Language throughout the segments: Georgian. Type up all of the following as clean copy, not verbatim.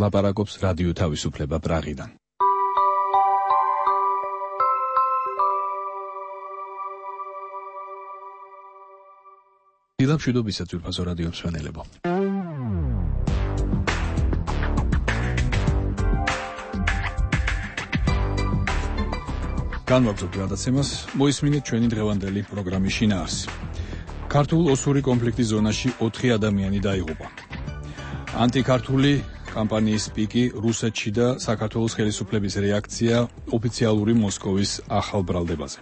ლაპარაკობს რადიო თავისუფლება პრაღიდან. დილამშვიდობისა ძვირფასო რადიო მსმენელებო. განვაგრძობთ გადაცემას, მოისმინეთ ჩვენი დღევანდელი პროგრამის შინაარსი. ქართულ ოსური კონფლიქტის ზონაში 4 ადამიანი დაიღუპა. ანტიქართული კამპანიის პიკი რუსეთში და საქართველოს ხელისუფლების რეაქცია ოფიციალური მოსკოვის ახალ ბრალდებაზე.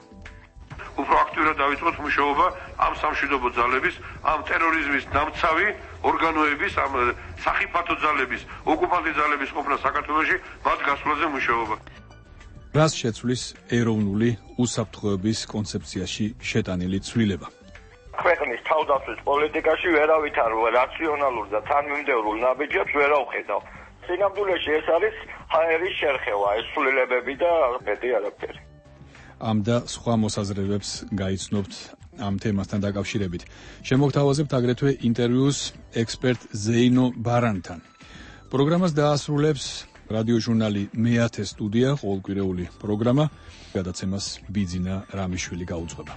უფრო აქტიურად დავიწყოთ მუშაობა ამ სამშვიდობო ძალების, ამ ტერორიზმის დამცავი ორგანოების, ამ სახიფათო ძალების, ოკუპანტი ძალების ყოფნა საქართველოში, მათ გასვლაზე მუშაობა. რას შეცვლის ეროვნული უსაფრთხოების კონცეფციაში შეტანილი ცვლილება? ქვეყნის თავდაცვის პოლიტიკაში ვერავითარ რაციონალურ და თანმიმდევრულ ნაბიჯებს ვერ ავხედავ. სინამდვილეში ეს არის ჰაერის შერხევა, ეს ცვლილებები და მეტი არაფერი. ამ და სხვა მოსაზრებებს გაიცნობთ ამ თემასთან დაკავშირებით. შემოგთავაზებთ აგრეთვე ინტერვიუს ექსპერტ ზეინო ბარანთან. პროგრამას დაასრულებს რადიოჟურნალი მეათე სტუდია, ყოველკვირეული პროგრამა. გადაცემას ბიძინა რამიშვილი გაუძღვება.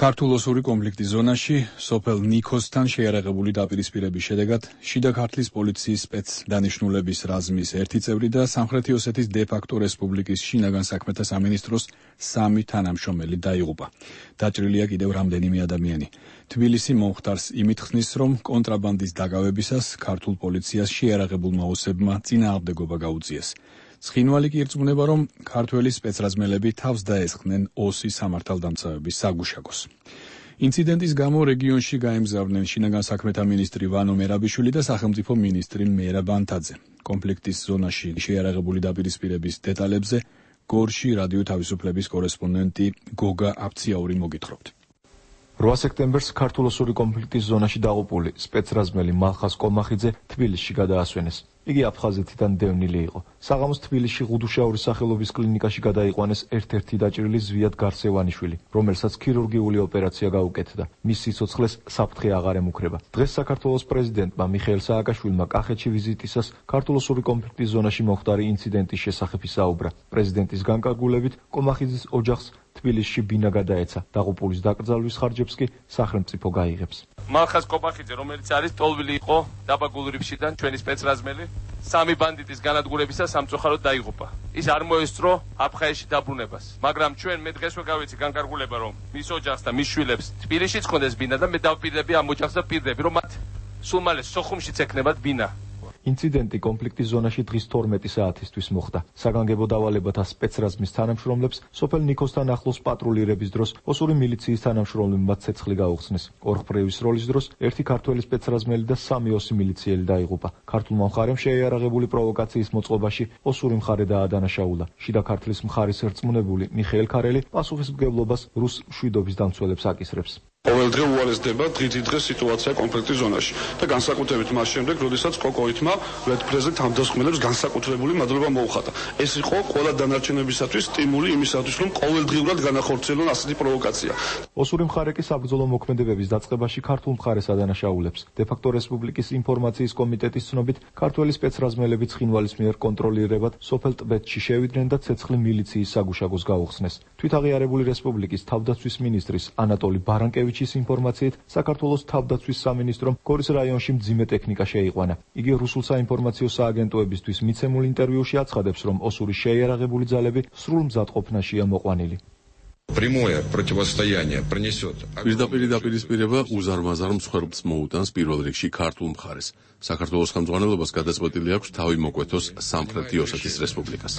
ქართულ ოსური კონფლიქტის ზონაში სოფელ ნიქოსთან შეიარაღებული დაპირისპირების შედეგად შიდა ქართლის პოლიციის სპეცდანიშნულების რაზმის ერთი წევრი და სამხრეთი ოსეთის დე-ფაქტო რესპუბლიკის შინაგან საქმეთა სამინისტროს 3 თანამშრომელი დაიღუპა. დაჭრილია კიდევ რამდენიმე ადამიანი. თბილისი მომხდარს იმით ხსნის, რომ კონტრაბანდის დაკავებისას ქართულ პოლიციას შეიარაღებულმა ოსებმა წინააღმდეგობა გაუწიეს. ცხინვალი კი ირწმუნება, რომ ქართველი სპეცრაზმელები თავს დაესხნენ ოსი სამართალდამცავების საგუშაგოს. ინციდენტის გამო რეგიონში გაემგზავრნენ შინაგან საქმეთა მინისტრი ვანო მერაბიშვილი და სახელმწიფო მინისტრი მერაბ ბანთაძე. კონფლიქტის ზონაში შეიარაღებული დაპირისპირების დეტალებზე გორში რადიო თავისუფლების კორესპონდენტი გოგა აფციაური მოგითხრობთ. 8 სექტემბერს ქართულ ოსური კონფლიქტის ზონაში დაღუპული სპეცრაზმელი მალხას კომახიძე თბილისში გადაასვენეს. იგი აფხაზეთიდან დევნილი იყო. საღამოს თბილისში ღუდუშაურის სახელობის კლინიკაში გადაიყვანეს ერთ-ერთი დაჭრილი ზვიად გარსევანიშვილი, რომელსაც ქირურგიული ოპერაცია გაუკეთდა. მის სიცოცხლეს საფრთხე აღარ ემუქრება. დღეს საქართველოს პრეზიდენტმა მიხეილ სააკაშვილმა კახეთში ვიზიტისას ქართულ ოსური კონფლიქტის ზონაში მომხდარი ინციდენტის შესახებ ისაუბრა. პრეზიდენტის განკარგულებით კომახიძის ოჯახს თბილისში ბინა გადაეცა. დაღუპულის დაკრძალვის ხარჯებს კი სახელმწიფო გაიღებს. მალხას კომახიძე, რომელიც არის ტოლვილი იყო დაბა გულრიფშიდან, ჩვენი სპეცრაზმელი, 3 ბანდიტის განადგურებისას სამწუხაროდ დაიღუპა. ის არ მოესწრო აფხაზეთში დაბრუნებას. მაგრამ ჩვენ მე დღესვე გავიცი განკარგულება, რომ მის ოჯახს და მის შვილებს თბილისშიც ხონდეს ბინა და მე დავპირდები ამ ოჯახს და პირდები, რომ მათ სულ მალე სოხუმშიც ექნებათ ბინა. ინციდენტი კონფლიქტის ზონაში დღის 12 საათისთვის მოხდა. საგანგებო დავალებათა სპეცრაზმის თანამშრომლებს სოფელ ნიქოსთან ახლოს პატრულირების დროს ოსური მილიციის თანამშრომლებმა ცეცხლი გაუხსნეს. ორხპრივის როლის დროს ერთი ქართველი სპეცრაზმელი და 3 ოსი მილიციელი დაიღუპა. ქართულმა მხარემ შეიარაღებული პროვოკაციის მოწყობაში ოსური მხარე დაადანაშაულა. შიდა ქართლის მხარის ერწმუნებული მიხეილ ქარელი პასუხისმგებლობას რუს მშვიდობის დამცველებს აკისრებს. ყოველდღე უარესდება დღითიდღე სიტუაცია კონფლიქტის ზონაში და განსაკუთრებით მას შემდეგ, როდესაც კოკოითმა ვეთფრეზე თავდასხმელებს განსაკუთრებული მადლობა მოუხატა. ეს იყო ყველა დანარჩენებისათვის სტიმული იმისათვის, რომ ყოველდღიურად განახორციელონ ასეთი პროვოკაცია. ოსური მხარე კი საბრძოლო მოქმედებების დაწყებაში ქართულ მხარეს ადანაშაულებს. დე-ფაქტო რესპუბლიკის ინფორმაციის კომიტეტის ცნობით, ქართველი სპეცრაზმელები ცხინვალის მიერ კონტროლირებად სოფელ ტბეთში შევიდნენ და ცეცხლი მილიციის საგუშაგოს გაუხსნეს. თვითაღიარებული რესპუბლიკის თავდაცვის მინისტრის ანატოლი ბარანკევიჩის ინფორმაციით, საქართველოს თავდაცვის სამინისტრომ გორის რაიონში მძიმე ტექნიკა შეიყვანა. იგი რუსულ საინფორმაციო სააგენტოებისთვის მიცემულ ინტერვიუში აცხადებს, რომ ოსური შეიარაღებული ძალები სრულ მზადყოფნაშია მოყვანილი. პირდაპირ დაპირისპირება უზარმაზარ მსხვერპლს მოუტანს პირველ რიგში ქართულ მხარეს. საქართველოს ხელმძღვანელობას გადაწყვეტილი აქვს თავი მოკვეთოს სამხრეთი ოსეთის რესპუბლიკას.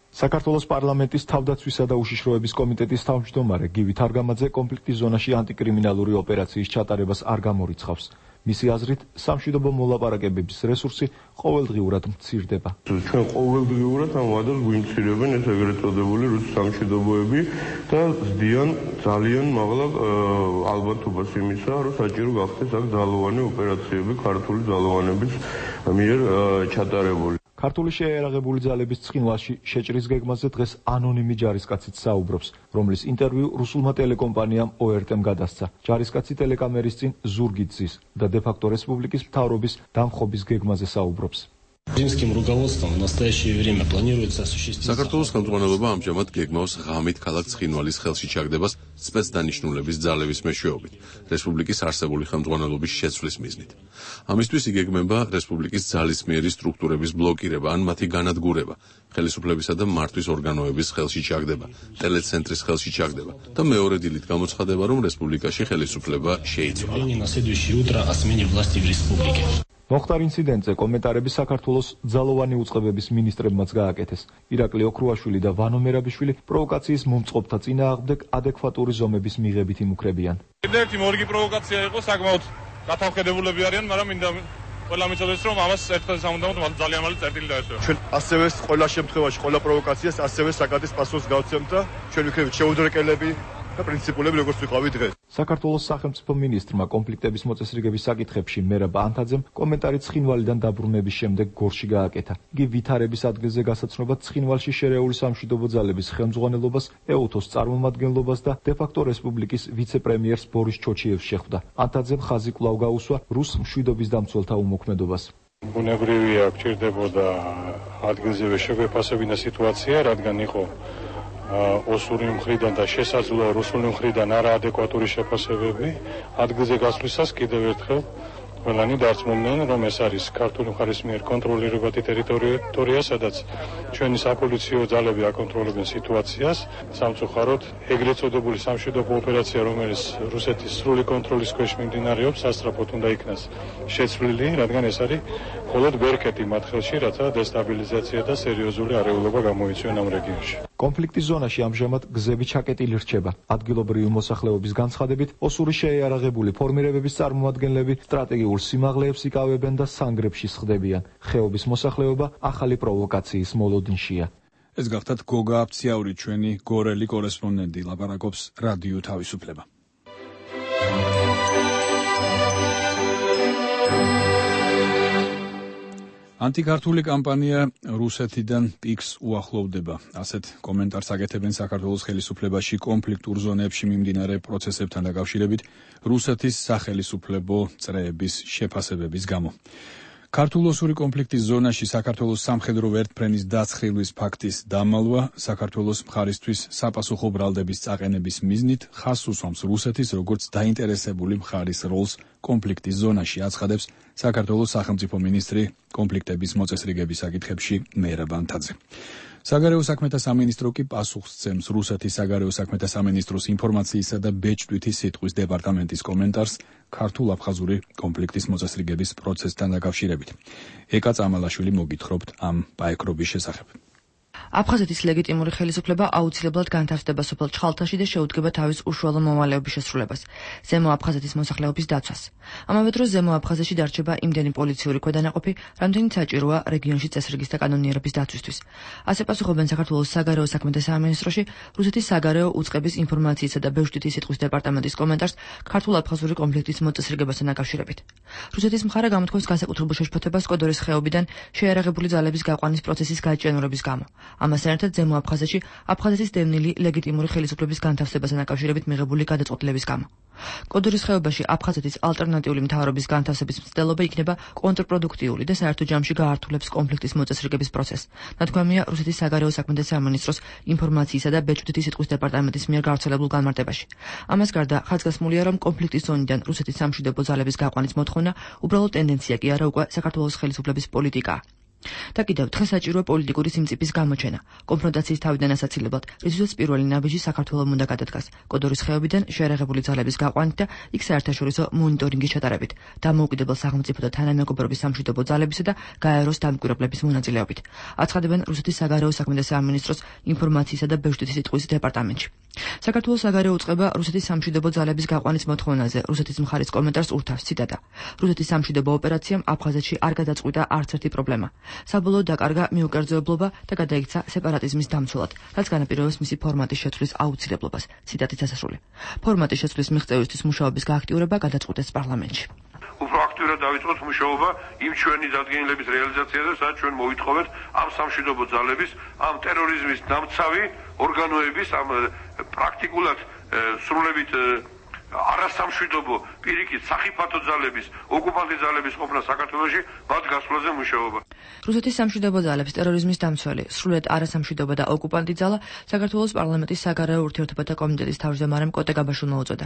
საქართველოს პარლამენტის თავდაცვისა და უშიშროების კომიტეტის თავმჯდომარე გივი თარგამაძე კონფლიქტის ზონაში ანტიკრიმინალური ოპერაციის ჩატარებას არ გამორიცხავს. მისი აზრით, სამშვიდობო მოლაპარაკებების რესურსი ყოველდღიურად მცირდება. ჩვენ ყოველდღიურად ამ ვადას გვიმცირებენ ეს ეგრეთ წოდებული რუსი სამშვიდობოები და ზდიან ძალიან მაღლა ალბათობას იმისა, რომ საჭირო გახდეს აქ ძალოვანი ოპერაციები ქართული ძალოვანების მიერ ჩატარებული. ქართული შეიარაღებული ძალების ცხინვალში შეჭრის გეგმაზე დღეს ანონიმი ჯარისკაციც საუბრობს, რომლის ინტერვიუ რუსულმა ტელეკომპანიამ ORT-მ გადასცა. ჯარისკაცი ტელეკამერის წინ ზურგით ზის და დე-ფაქტო რესპუბლიკის მთავრობის დამხობის გეგმაზე საუბრობს. საქართველოს ხელმძღვანელობა ამჟამად გეგმავს ღამით ქალაქ ცხინვალის ხელში ჩაგდებას სპეცდანიშნულების ძალების მეშვეობით, რესპუბლიკის არსებული ხელმძღვანელობის შეცვლის მიზნით. ამისთვის იგეგმება რესპუბლიკის ძალისმიერი სტრუქტურების ბლოკირება ან მათი განადგურება, ხელისუფლებისა და მართვის ორგანოების ხელში ჩაგდება, ტელეცენტრის ხელში ჩაგდება და მეორე დილით გამოცხადება, რომ რესპუბლიკაში ხელისუფლება შეიცვალა. მოხდარ ინციდენტზე კომენტარები საქართველოს ძალოვანი უწყებების მინისტრებმაც გააკეთეს. ირაკლი ოქრუაშვილი და ვანო მერაბიშვილი პროვოკაციის მომწყობთა წინააღმდეგ ადეკვატური ზომების მიღებით იმუქრებიან. ერთი მორგი პროვოკაცია იყო, საკმაოდ გათავხედებულები არიან, მაგრამ მინდა ყველა მიცოდეს, რომ ამას ერთხელ სამუდამოდ ძალიან მალე წერტილი დაესწრო. ჩვენ ასევე ყველა შემთხვევაში, ყველა პროვოკაციას ასევე საკადის პასუხს გავცემთ და ჩვენ ვიქნებით შეუდრეკელები და პრინციპულები, როგორც ვიყავით დღეს. საქართველოს სახელმწიფო მინისტრმა კონფლიქტების მოწესრიგების საკითხებში მერაბ ანთაძემ კომენტარი ცხინვალიდან დაბრუნების შემდეგ გორში გააკეთა. იგი ვითარების ადგილზე გასაცნობად ცხინვალში შერეული სამშვიდობო ძალების ხელმძღვანელობას, EUTOS წარმომადგენლობას და დე-ფაქტო რესპუბლიკის ვიცე-პრემიერს ბორის ჩოჩიევს შეხვდა. ანთაძემ ხაზი კვლავ გაუსვა რუს მშვიდობის დამცველთა უმოქმედობას. ბუნებრივია, გჭირდებოდა ადგილზევე შეგვეფასებინა სიტუაცია, რადგან იყო ოსური მხრიდან და შესაძლოა რუსული მხრიდან არაადეკვატური შეფასებები. ადგილზე გასვლისას კიდევ ერთხელ ყველანი დარწმუნდნენ, რომ ეს არის ქართული მხარის მიერ კონტროლირებადი ტერიტორია, სადაც ჩვენი საპოლიციო ძალები აკონტროლებენ სიტუაციას. სამწუხაროდ, ეგრეთ წოდებული სამშვიდობო ოპერაცია, რომელიც რუსეთის სრული კონტროლის ქვეშ მიმდინარეობს, სასწრაფოდ უნდა იქნას შეცვლილი, რადგან ეს არის მხოლოდ ბერკეტი მათ ხელში, რათა დესტაბილიზაცია და სერიოზული არეულობა გამოიწვიონ ამ რეგიონში. კონფლიქტის ზონაში ამჟამად გზები ჩაკეტილი რჩება. ადგილობრივი მოსახლეობის განცხადებით, ოსური შეიარაღებული ფორმირებების წარმომადგენლები სტრატეგიულ სიმაღლეებს იკავებენ და სანგრებში სხდებიან. ხეობის მოსახლეობა ახალი პროვოკაციის მოლოდინშია. ეს გახდათ გოგა აფციაური, ჩვენი გორელი კორესპონდენტი, ლაპარაკობს რადიო თავისუფლება. ანტიკართული კამპანია რუსეთიდან პიკს უახლოვდება. ასეთ კომენტარს აკეთებენ საქართველოს ხელისუფლებაში კონფლიქტურ ზონებში მიმდინარე პროცესებთან დაკავშირებით რუსეთის სახელისუფლებო წრეების შეფასებების გამო. ქართულ-ოსური კონფლიქტის ზონაში საქართველოს სამხედრო ვერტმფრენის დაცხრილის ფაქტის დამალვა საქართველოს მხარისთვის საპასუხო ბრალდების წაყენების მიზნით ხაზს უსვამს რუსეთის როგორც დაინტერესებული მხარის როლს კონფლიქტის ზონაში, აცხადებს საქართველოს სახელმწიფო მინისტრი კონფლიქტების მოწესრიგების საკითხებში მერაბ ანთაძე. საგარეო საქმეთა სამინისტრო კი პასუხს სცემს რუსეთის საგარეო საქმეთა სამინისტროს ინფორმაციისა და ბეჭდვითი სიტყვის დეპარტამენტის კომენტარს ქართულ-აფხაზური კონფლიქტის მოწესრიგების პროცესთან დაკავშირებით. ეკა წამალაშვილი მოგითხრობთ ამ პაექრობის შესახებ. აფხაზეთის ლეგიტიმური ხელისუფლება აუცილებლად განთავსდება სოფელ ჩხალთაში და შეუდგება თავის უშუალო მოვალეობის შესრულებას, ზემო აფხაზეთის მოსახლეობის დაცვას. ამავე დროს ზემო აფხაზეთში დარჩება იმდენი პოლიციური ქვედანაყოფი, რამდენიც საჭიროა რეგიონში წესრიგის და კანონიერების დაცვისთვის. ასე პასუხობენ საქართველოს საგარეო საქმეთა სამინისტროში რუსეთის საგარეო უწყების ინფორმაციისა და ბეჭდვითი სიტყვის დეპარტამენტის კომენტარს ქართულ-აფხაზური კონფლიქტის მოწესრიგებასთან დაკავშირებით. რუსეთის მხარე გამოთქვამს განსაკუთრებულ შეშფოთებას კოდორის ხეობიდან შეიარაღებული ძალების გაყვანის პროცესის გაჭიანურების გამო. ამასთან ერთად ზემო აფხაზეთში აფხაზეთის დევნილი ლეგიტიმური ხელისუფლების განთავსებასთან დაკავშირებით მიღებული გადაწყვეტილების გამო. კოდორის ხეობაში აფხაზეთის ალტერნატიული მთავრობის განთავსების მცდელობა იქნება კონტრპროდუქტიული და საერთო ჯამში გაართულებს კონფლიქტის მოწესრიგების პროცესს. ნათქვამია რუსეთის საგარეო საქმეთა სამინისტროს ინფორმაციისა და ბეჭდვითი სიტყვის დეპარტამენტის მიერ გავრცელებულ განმარტებაში. ამას გარდა ხაზგასმულია, რომ კონფლიქტის ზონიდან რუსეთის სამშვიდობო ძალების გაყვანის მოთხოვნა უბრალოდ ტენდენცია კი არა, უკვე საქართველოს ხელისუფლების პოლიტიკაა. და კიდევ დღეს საჭიროა პოლიტიკური სიმწიფის გამოჩენა. კონფრონტაციის თავიდან ასაცილებლად, რისთვისაც პირველი ნაბიჯი საქართველოს უნდა გადადგას. კოდორის ხეობიდან შეიარაღებული ძალების გაყვანით და იქ საერთაშორისო მონიტორინგის ჩატარებით, დამოუკიდებელ სახელმწიფო და თანამეგობრობის სამშვიდობო ძალებისა და გაეროს დამკვირვებლების მონაწილეობით. აცხადებენ რუსეთის საგარეო საქმეთა სამინისტროს ინფორმაციისა და ბეჭდვითი სიტყვის დეპარტამენტში. საქართველოს საგარეო უწყება რუსეთის სამშვიდობო ძალების გაყვანის მოთხოვნაზე რუსეთის მხარის კომენტარს ურთავს, ციტატა. რუსეთის სამშვიდობო ოპერაციამ აფხაზეთში არ გადაწყვიტა არც ერთი პრობლემა. საბოლოოდ დაკარგა მიუკერძოებლობა და გადაიქცა სეპარატიზმის დამცველად, რაც განაპირობებს მისი ფორმატის შეცვლის აუცილებლობას. ციტატით დასასრული. ფორმატის შეცვლის მიღწევისთვის მუშაობის გააქტიურება გადაწყვეტეს პარლამენტში. უფრო პროაქტიურად დავიწყოთ მუშაობა იმ ჩვენი დადგენილების რეალიზაციაზე, სადაც ჩვენ მოვითხოვეთ ამ სამშვიდობო ძალების, ამ ტერორიზმის დამცავი ორგანოების, ამ პრაქტიკულად სრულებით არასამშვიდობო პირიქით სახიფათო ძალების, ოკუპანტი ძალების ყოფნა საქართველოში მათ გასვლაზე მუშაობა. რუსეთის სამშვიდობო ძალების ტერორიზმის დამცველი, სრულიად არასამშვიდობო და ოკუპანტი ძალა საქართველოს პარლამენტის საგარეო ურთიერთობათა კომიტეტის თავმჯდომარემ კოტე გაბაშვილმა უწოდა.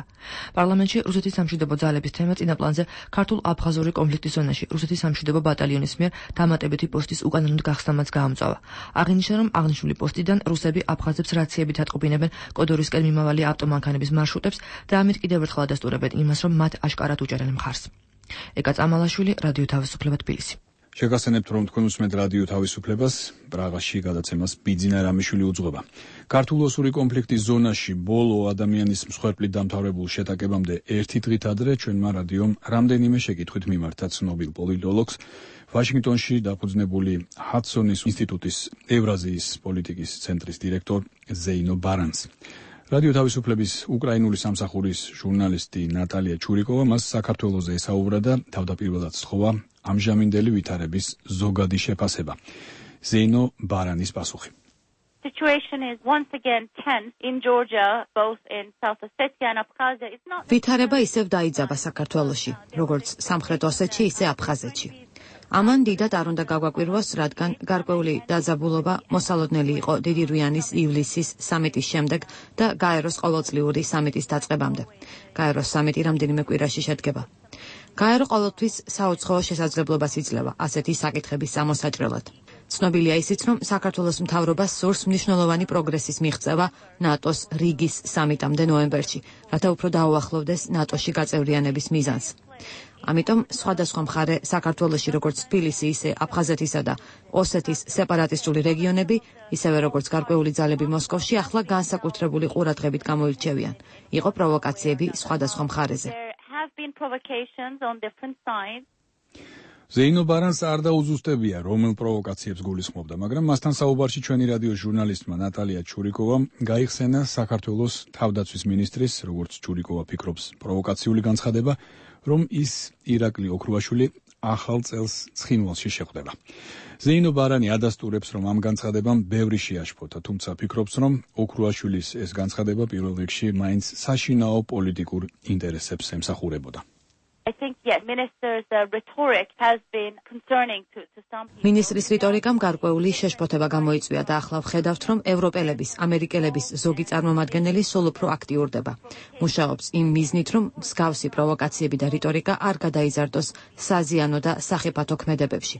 პარლამენტში რუსეთის სამშვიდობო ძალების თემა წინაპლანზე ქართულ-აფხაზური კონფლიქტის ზონაში რუსეთის სამშვიდობო ბატალიონის მიერ დამატებითი პოსტის უკანონოდ გახსნამაც გაამწვავა. აღინიშნა, რომ აღნიშნული პოსტიდან რუსები აფხაზებს რაციებით ატყობინებენ კოდორისკენ მიმავალი ავტომანქანების მარშრუტებს და ამით კიდევ ერთხელ ადასტურებენ იმას, რომ მათ აშკარად უჭერენ მხარს. ეკა წამალაშვილი, რადიო თავისუფლება, თბილისი. შეგახსენებთ, რომ თქვენ უსმენთ რადიო თავისუფლებას, პრაღაში გადაცემას ბიძინა რამიშვილი უძღვება. ქართულ-ოსური კონფლიქტის ზონაში ბოლო ადამიანის მსხვერპლით დამთავრებულ შეტაკებამდე ერთი დღით ადრე ჩვენმა რადიომ რამდენიმე შეკითხვით მიმართა ცნობილ პოლიტოლოგს, ვაშინგტონში დაფუძნებული ჰადსონის ინსტიტუტის ევრაზიის პოლიტიკის ცენტრის დირექტორ ზეინო ბარანს. რადიო თავისუფლების უკრაინული სამსახურის ჟურნალისტი ნატალია ჩურიკოვა მას საქართველოზე ესაუბრა და თავდაპირველად სთხოვა ამჟამინდელი ვითარების ზოგადი შეფასება. ზეინო ბარანის პასუხი. ვითარება ისევ დაიძაბა საქართველოში, როგორც სამხრეთ ოსეთში, ისე აფხაზეთში. ამან დიდად არ უნდა გაგვაკვირვოს, რადგან გარკვეული დაძაბულობა მოსალოდნელი იყო დიდი რვიანის ივლისის სამიტის შემდეგ და გაეროს ყოველწლიური სამიტის დაწყებამდე. გაეროს სამიტი რამდენიმე კვირაში შედგება. გაერო ყოველთვის საუცხოო შესაძლებლობას იძლევა ასეთი საკითხების სამოსაჭრელად. ცნობილია ისიც, რომ საქართველოს მთავრობას სურს მნიშვნელოვანი პროგრესის მიღწევა ნატოს რიგის სამიტამდე ნოემბერში, რათა უფრო დაუახლოვდეს ნატოში გაწევრიანების მიზანს. ამიტომ სხვადასხვა მხარე საქართველოში, როგორც თბილისი, ისე აფხაზეთისა და ოსეთის სეპარატისტული რეგიონები, ისევე როგორც გარკვეული ძალები მოსკოვში, ახლა განსაკუთრებული ყურადღებით გამოირჩევიან. იყო პროვოკაციები სხვადასხვა მხარეზე. ზეინო ბარანს არ დაუზუსტებია, რომელ პროვოკაციებს გულისხმობდა, მაგრამ მასთან საუბარში ჩვენი რადიოს ჟურნალისტმა ნატალია ჩურიკოვამ გაიხსენა საქართველოს თავდაცვის მინისტრის, როგორც ჩურიკოვა ფიქრობს, პროვოკაციული განცხადება, რომ ის ირაკლი ოქრუაშვილი ახალ წელს ცხინვალში შეხვდება. ზეინო ბარანი ადასტურებს, რომ ამ განცხადებამ ბევრი შეაშფოთა, თუმცა ფიქრობს, რომ ოქრუაშვილის ეს განცხადება პირველ რიგში მაინც საშინაო პოლიტიკურ ინტერესებს ემსახურებოდა. მინისტრის რიტორიკამ გარკვეული შეშფოთება გამოიწვია და ახლა ვხედავთ, რომ ევროპელების, ამერიკელების ზოგი წარმომადგენელი სულ უფრო აქტიურდება. მუშაობს იმ მიზნით, რომ მსგავსი პროვოკაციები და რიტორიკა არ გადაიზარდოს საზიანო და სახიფათო ქმედებებში.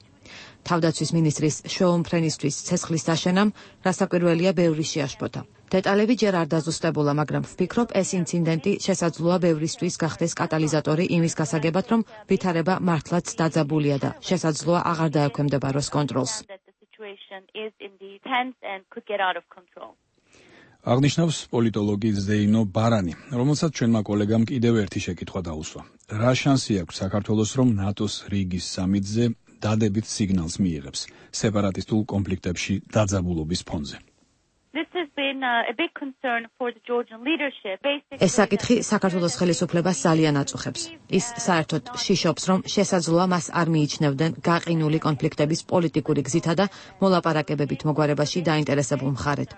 თავდაცვის მინისტრის შეუმფრენისთვის ცეცხლის დაშენამ რასაკვირველია ბევრი შეაშფოთა. დეტალები ჯერ არ დაზუსტებულა, მაგრამ ვფიქრობ, ეს ინციდენტი შესაძლოა ბევრისთვის გახდეს კატალიზატორი იმის გასაგებად, რომ ვითარება მართლაც დაძაბულია და შესაძლოა აღარ დაექვემდებაროს კონტროლს. აღნიშნავს პოლიტოლოგი ზეინო ბარანი, რომელსაც ჩვენმა კოლეგამ კიდევ ერთი შეკითხვა დაუსვა. რა შანსი აქვს საქართველოს, რომ ნატოს რიგის სამიტზე დადებით სიგნალს მიიღებს სეპარატისტულ კონფლიქტებში დაძაბულობის ფონზე? ეს საკითხი საქართველოს ხელისუფლებას ძალიან აწუხებს. ის საერთოდ შიშობს, რომ შესაძლოა მას არ მიიჩნევდნენ გაყინული კონფლიქტების პოლიტიკური გზითა და მოლაპარაკებებით მოგვარებაში დაინტერესებულ მხარედ.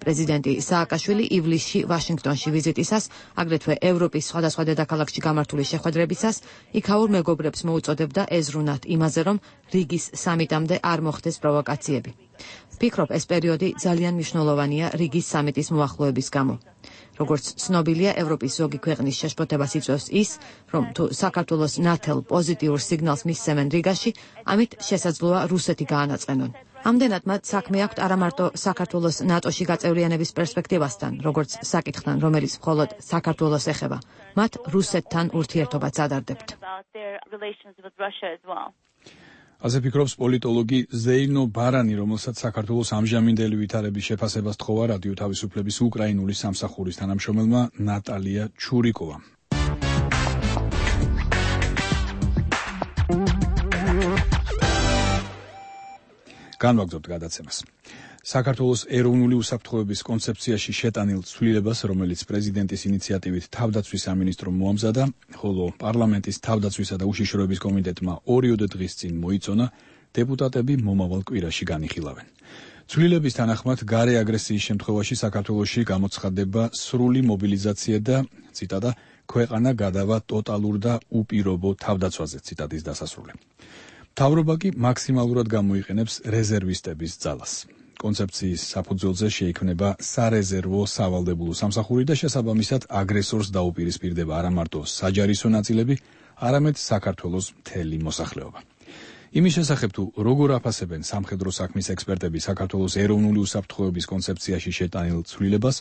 პრეზიდენტი სააკაშვილი ივლისში ვაშინგტონში ვიზიტისას, აგრეთვე ევროპის სხვადასხვა დედაქალაქში გამართული შეხვედრებისას, იქაურ მეგობრებს მოუწოდებდა ეზრუნათ იმაზე, რომ რიგის სამიტამდე არ მოხდეს პროვოკაციები. ვფიქრობ, ეს პერიოდი ძალიან მნიშვნელოვანია რიგის სამიტის მოახლოების გამო. როგორც ცნობილია, ევროპის ზოგი ქვეყნის შეშფოთებას იწვევს ის, რომ თუ საქართველოს ნათელ პოზიტიურ სიგნალს მისცემენ რიგაში, ამით შესაძლოა რუსეთი გაანაწყენონ. ამდენად მათ საქმე აქვთ არა მარტო საქართველოს ნატოში გაწევრიანების პერსპექტივასთან, როგორც საკითხთან, რომელიც მხოლოდ საქართველოს ეხება, მათ რუსეთთან ურთიერთობაც ადარდებთ. ასე ფიქრობს პოლიტოლოგი ზეინო ბარანი, რომელსაც საქართველოს ამჟამინდელი ვითარების შეფასებას თხოვა რადიო თავისუფლების უკრაინული სამსახურის თანამშრომელმა ნატალია ჩურიკოვამ. განვაგრძობთ გადაცემას. საქართველოს ეროვნული უსაფრთხოების კონცეფციაში შეტანილ ცვლილებას, რომელიც პრეზიდენტის ინიციატივით თავდაცვის სამინისტრომ მოამზადა, ხოლო პარლამენტის თავდაცვისა და უშიშროების კომიტეტმა 2 დღის წინ მოიწონა, დეპუტატები მომავალ კვირაში განიხილავენ. ცვლილების თანახმად, გარე აგრესიის შემთხვევაში საქართველოში გამოცხადდება სრული მობილიზაცია და, ციტატა, ქვეყანა გადავა ტოტალურ და უპირობო თავდაცვაზე, ციტატის დასასრული. მთავრობა კი მაქსიმალურად გამოიყენებს რეზერვისტების ძალას. კონცეფციის საფუძველზე შეიქმნება სარეზერვო სავალდებულო სამსახური და შესაბამისად აგრესორს დაუპირისპირდება არა მარტო საჯარისო ნაწილები, არამედ საქართველოს მთელი მოსახლეობა. იმის შესახებ თუ როგორ აფასებენ სამხედრო საქმის ექსპერტები საქართველოს ეროვნული უსაფრთხოების კონცეფციაში შეტანილ ცვლილებას,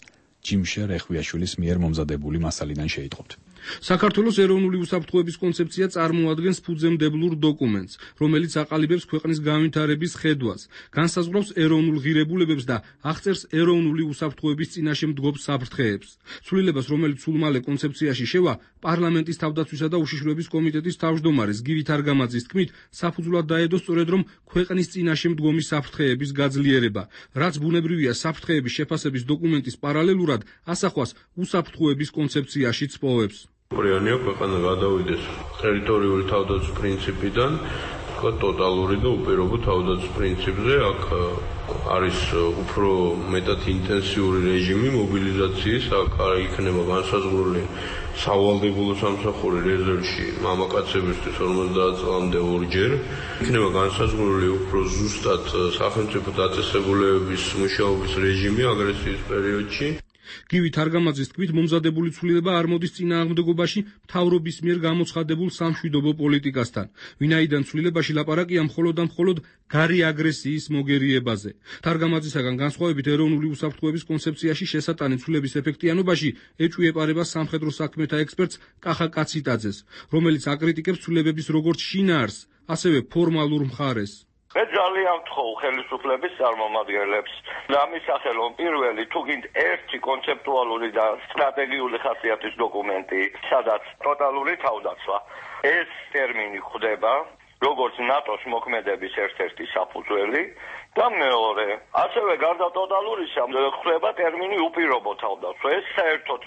ჯიმშე რეხვიაშვილის მიერ მომზადებული მასალიდან შეიტყობთ. საქართველოს ეროვნული უსაფრთხოების კონცეფცია წარმოადგენს ფუძემდებლურ დოკუმენტს, რომელიც აყალიბებს ქვეყნის განვითარების ხედვას, განსაზღვრავს ეროვნულ ღირებულებებს და აღწერს ეროვნული უსაფრთხოების წინაშე მდგომ საფრთხეებს. ცვლილებას, რომელიც სულ მალე კონცეფციაში შევა, პარლამენტის თავდაცვისა და უშიშროების კომიტეტის თავმჯდომარის გივი თარგამაძის თქმით, საფუძვლად დაედო სწორედ რომ ქვეყნის წინაშე მდგომი საფრთხეების გაძლიერება, რაც ბუნებრივია საფრთხეების შეფასების დოკუმენტის პარალელურად ასახვას უსაფრთხოების კონცეფციაშიც პოვებს. პრიანია ქვეყანა გადავიდეს ტერიტორიული თავდაცვის პრინციპიდან ტოტალური და უპირობო თავდაცვის პრინციპზე. აქ არის უფრო მეტად ინტენსიური რეჟიმი მობილიზაციის, აქ იქნება განსაზღვრული სავალდებულო სამსახური რეზერვში მამაკაცებისთვის 50 წლამდე ორჯერ, იქნება განსაზღვრული უფრო ზუსტად სახელმწიფო დაწესებულებების მუშაობის რეჟიმი აგრესიის პერიოდში. გივი თარგამაძის თქმით, მომზადებული ცვლილება არ მოდის წინააღმდეგობაში მთავრობის მიერ გამოცხადებულ სამშვიდობო პოლიტიკასთან, ვინაიდან ცვლილებაში ლაპარაკია მხოლოდ და მხოლოდ გარე აგრესიის მოგერიებაზე. თარგამაძისაგან განსხვავებით, ეროვნული უსაფრთხოების კონცეფციაში შესატანი ცვლილების ეფექტიანობაში ეჭვი ეპარება სამხედრო საქმეთა ექსპერტს კახა კაციტაძეს, რომელიც აკრიტიკებს ცვლილებების როგორც შინაარსს, ასევე ფორმალურ მხარეს. მე ძალიან ვთხოვ ხელისუფლების წარმომადგენლებს დამისახელონ პირველი თუ გინდ ერთი კონცეპტუალური და სტრატეგიული ხასიათის დოკუმენტი, სადაც ტოტალური თავდაცვა. ეს ტერმინი ხვდება როგორც ნატოს მოქმედების ერთ-ერთი საფუძველი და მეორე, ასევე გარდა ტოტალურისა ხვდება ტერმინი უპირობო თავდაცვა. ეს საერთოდ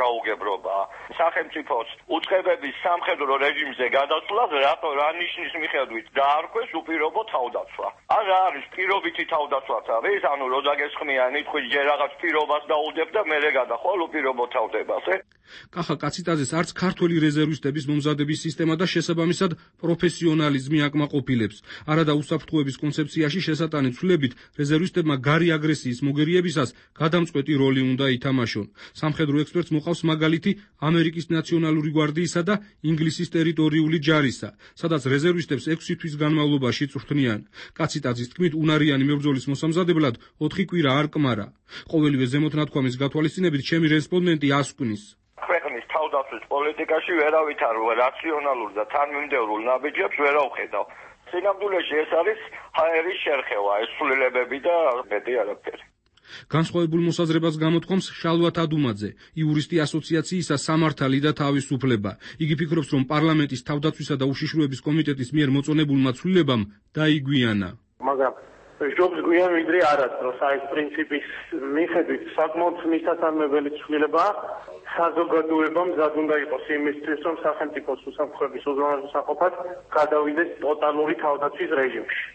გაუგებრობაა სახელმწიფოს უწყებების სამხედრო რეჟიმზე გადასვლას, რა ნიშნის მიხედვით დაარქვეს უპირობო თავდაცვა. ან რა არის პირობითი თავდაცვაც არის, ანუ რო დაგესხმიან ითქვით ჯერ რაღაც პირობას დაუდებ და მერე გადახვალ უპირობო თავდებაზე. კახა კაციტაძეს არც ქართველი რეზერვისტების მომზადების სისტემა და შესაბამისად პროფესიონალიზმი აკმაყოფილებს. არადა უსაფრთხოების კონცეფციაში შესატანი ცვლილებით რეზერვისტებმა გარი აგრესიის მოგერიებისას გადამწყვეტი როლი უნდა ითამაშონ. სამხედრო ექსპერტს მოყავს მაგალითი ამერიკის ნაციონალური გვარდიისა და ინგლისის ტერიტორიული ჯარისა, სადაც რეზერვისტებს 6 თვის განმავლობაში წვრთნიან. კაციტაძის თქმით, უნარიანი მებრძოლის მოსამზადებლად 4 კვირა არ კმარა. ყოველივე ზემოთნათქვამის გათვალისწინებით ჩემი რესპონდენტი ასკვნის. ქვეყნის თავდაცვის პოლიტიკაში ვერავით არ რაციონალურ და თანმიმდევრულ ნაბიჯებს ვერ ავხედავ. სინამდვილეში ეს არის ჰაერის შერხევა, ეს ცვლილებები და მეტი არაფერი. განსხვავებულ მოსაზრებას გამოთქვამს შალვათ ადუმაძე, იურისტი ასოციაციისა სამართალი და თავისუფლება. იგი ფიქრობს, რომ პარლამენტის თავდაცვისა და უშიშროების კომიტეტის მიერ მოწონებულმა ცვლილებამ დაიგვიანა. მაგრამ ჯობს გვიან ვიდრე არასდროს აი პრინციპის მიხედვით საკმაოდ მისასალმებელი ცვლილებაა. საზოგადოებამ მზად უნდა იყოს იმისთვის, რომ სახელმწიფოს უსაფრთხოების უზრუნველყოფად გადავიდეს ტოტალური თავდაცვის რეჟიმში.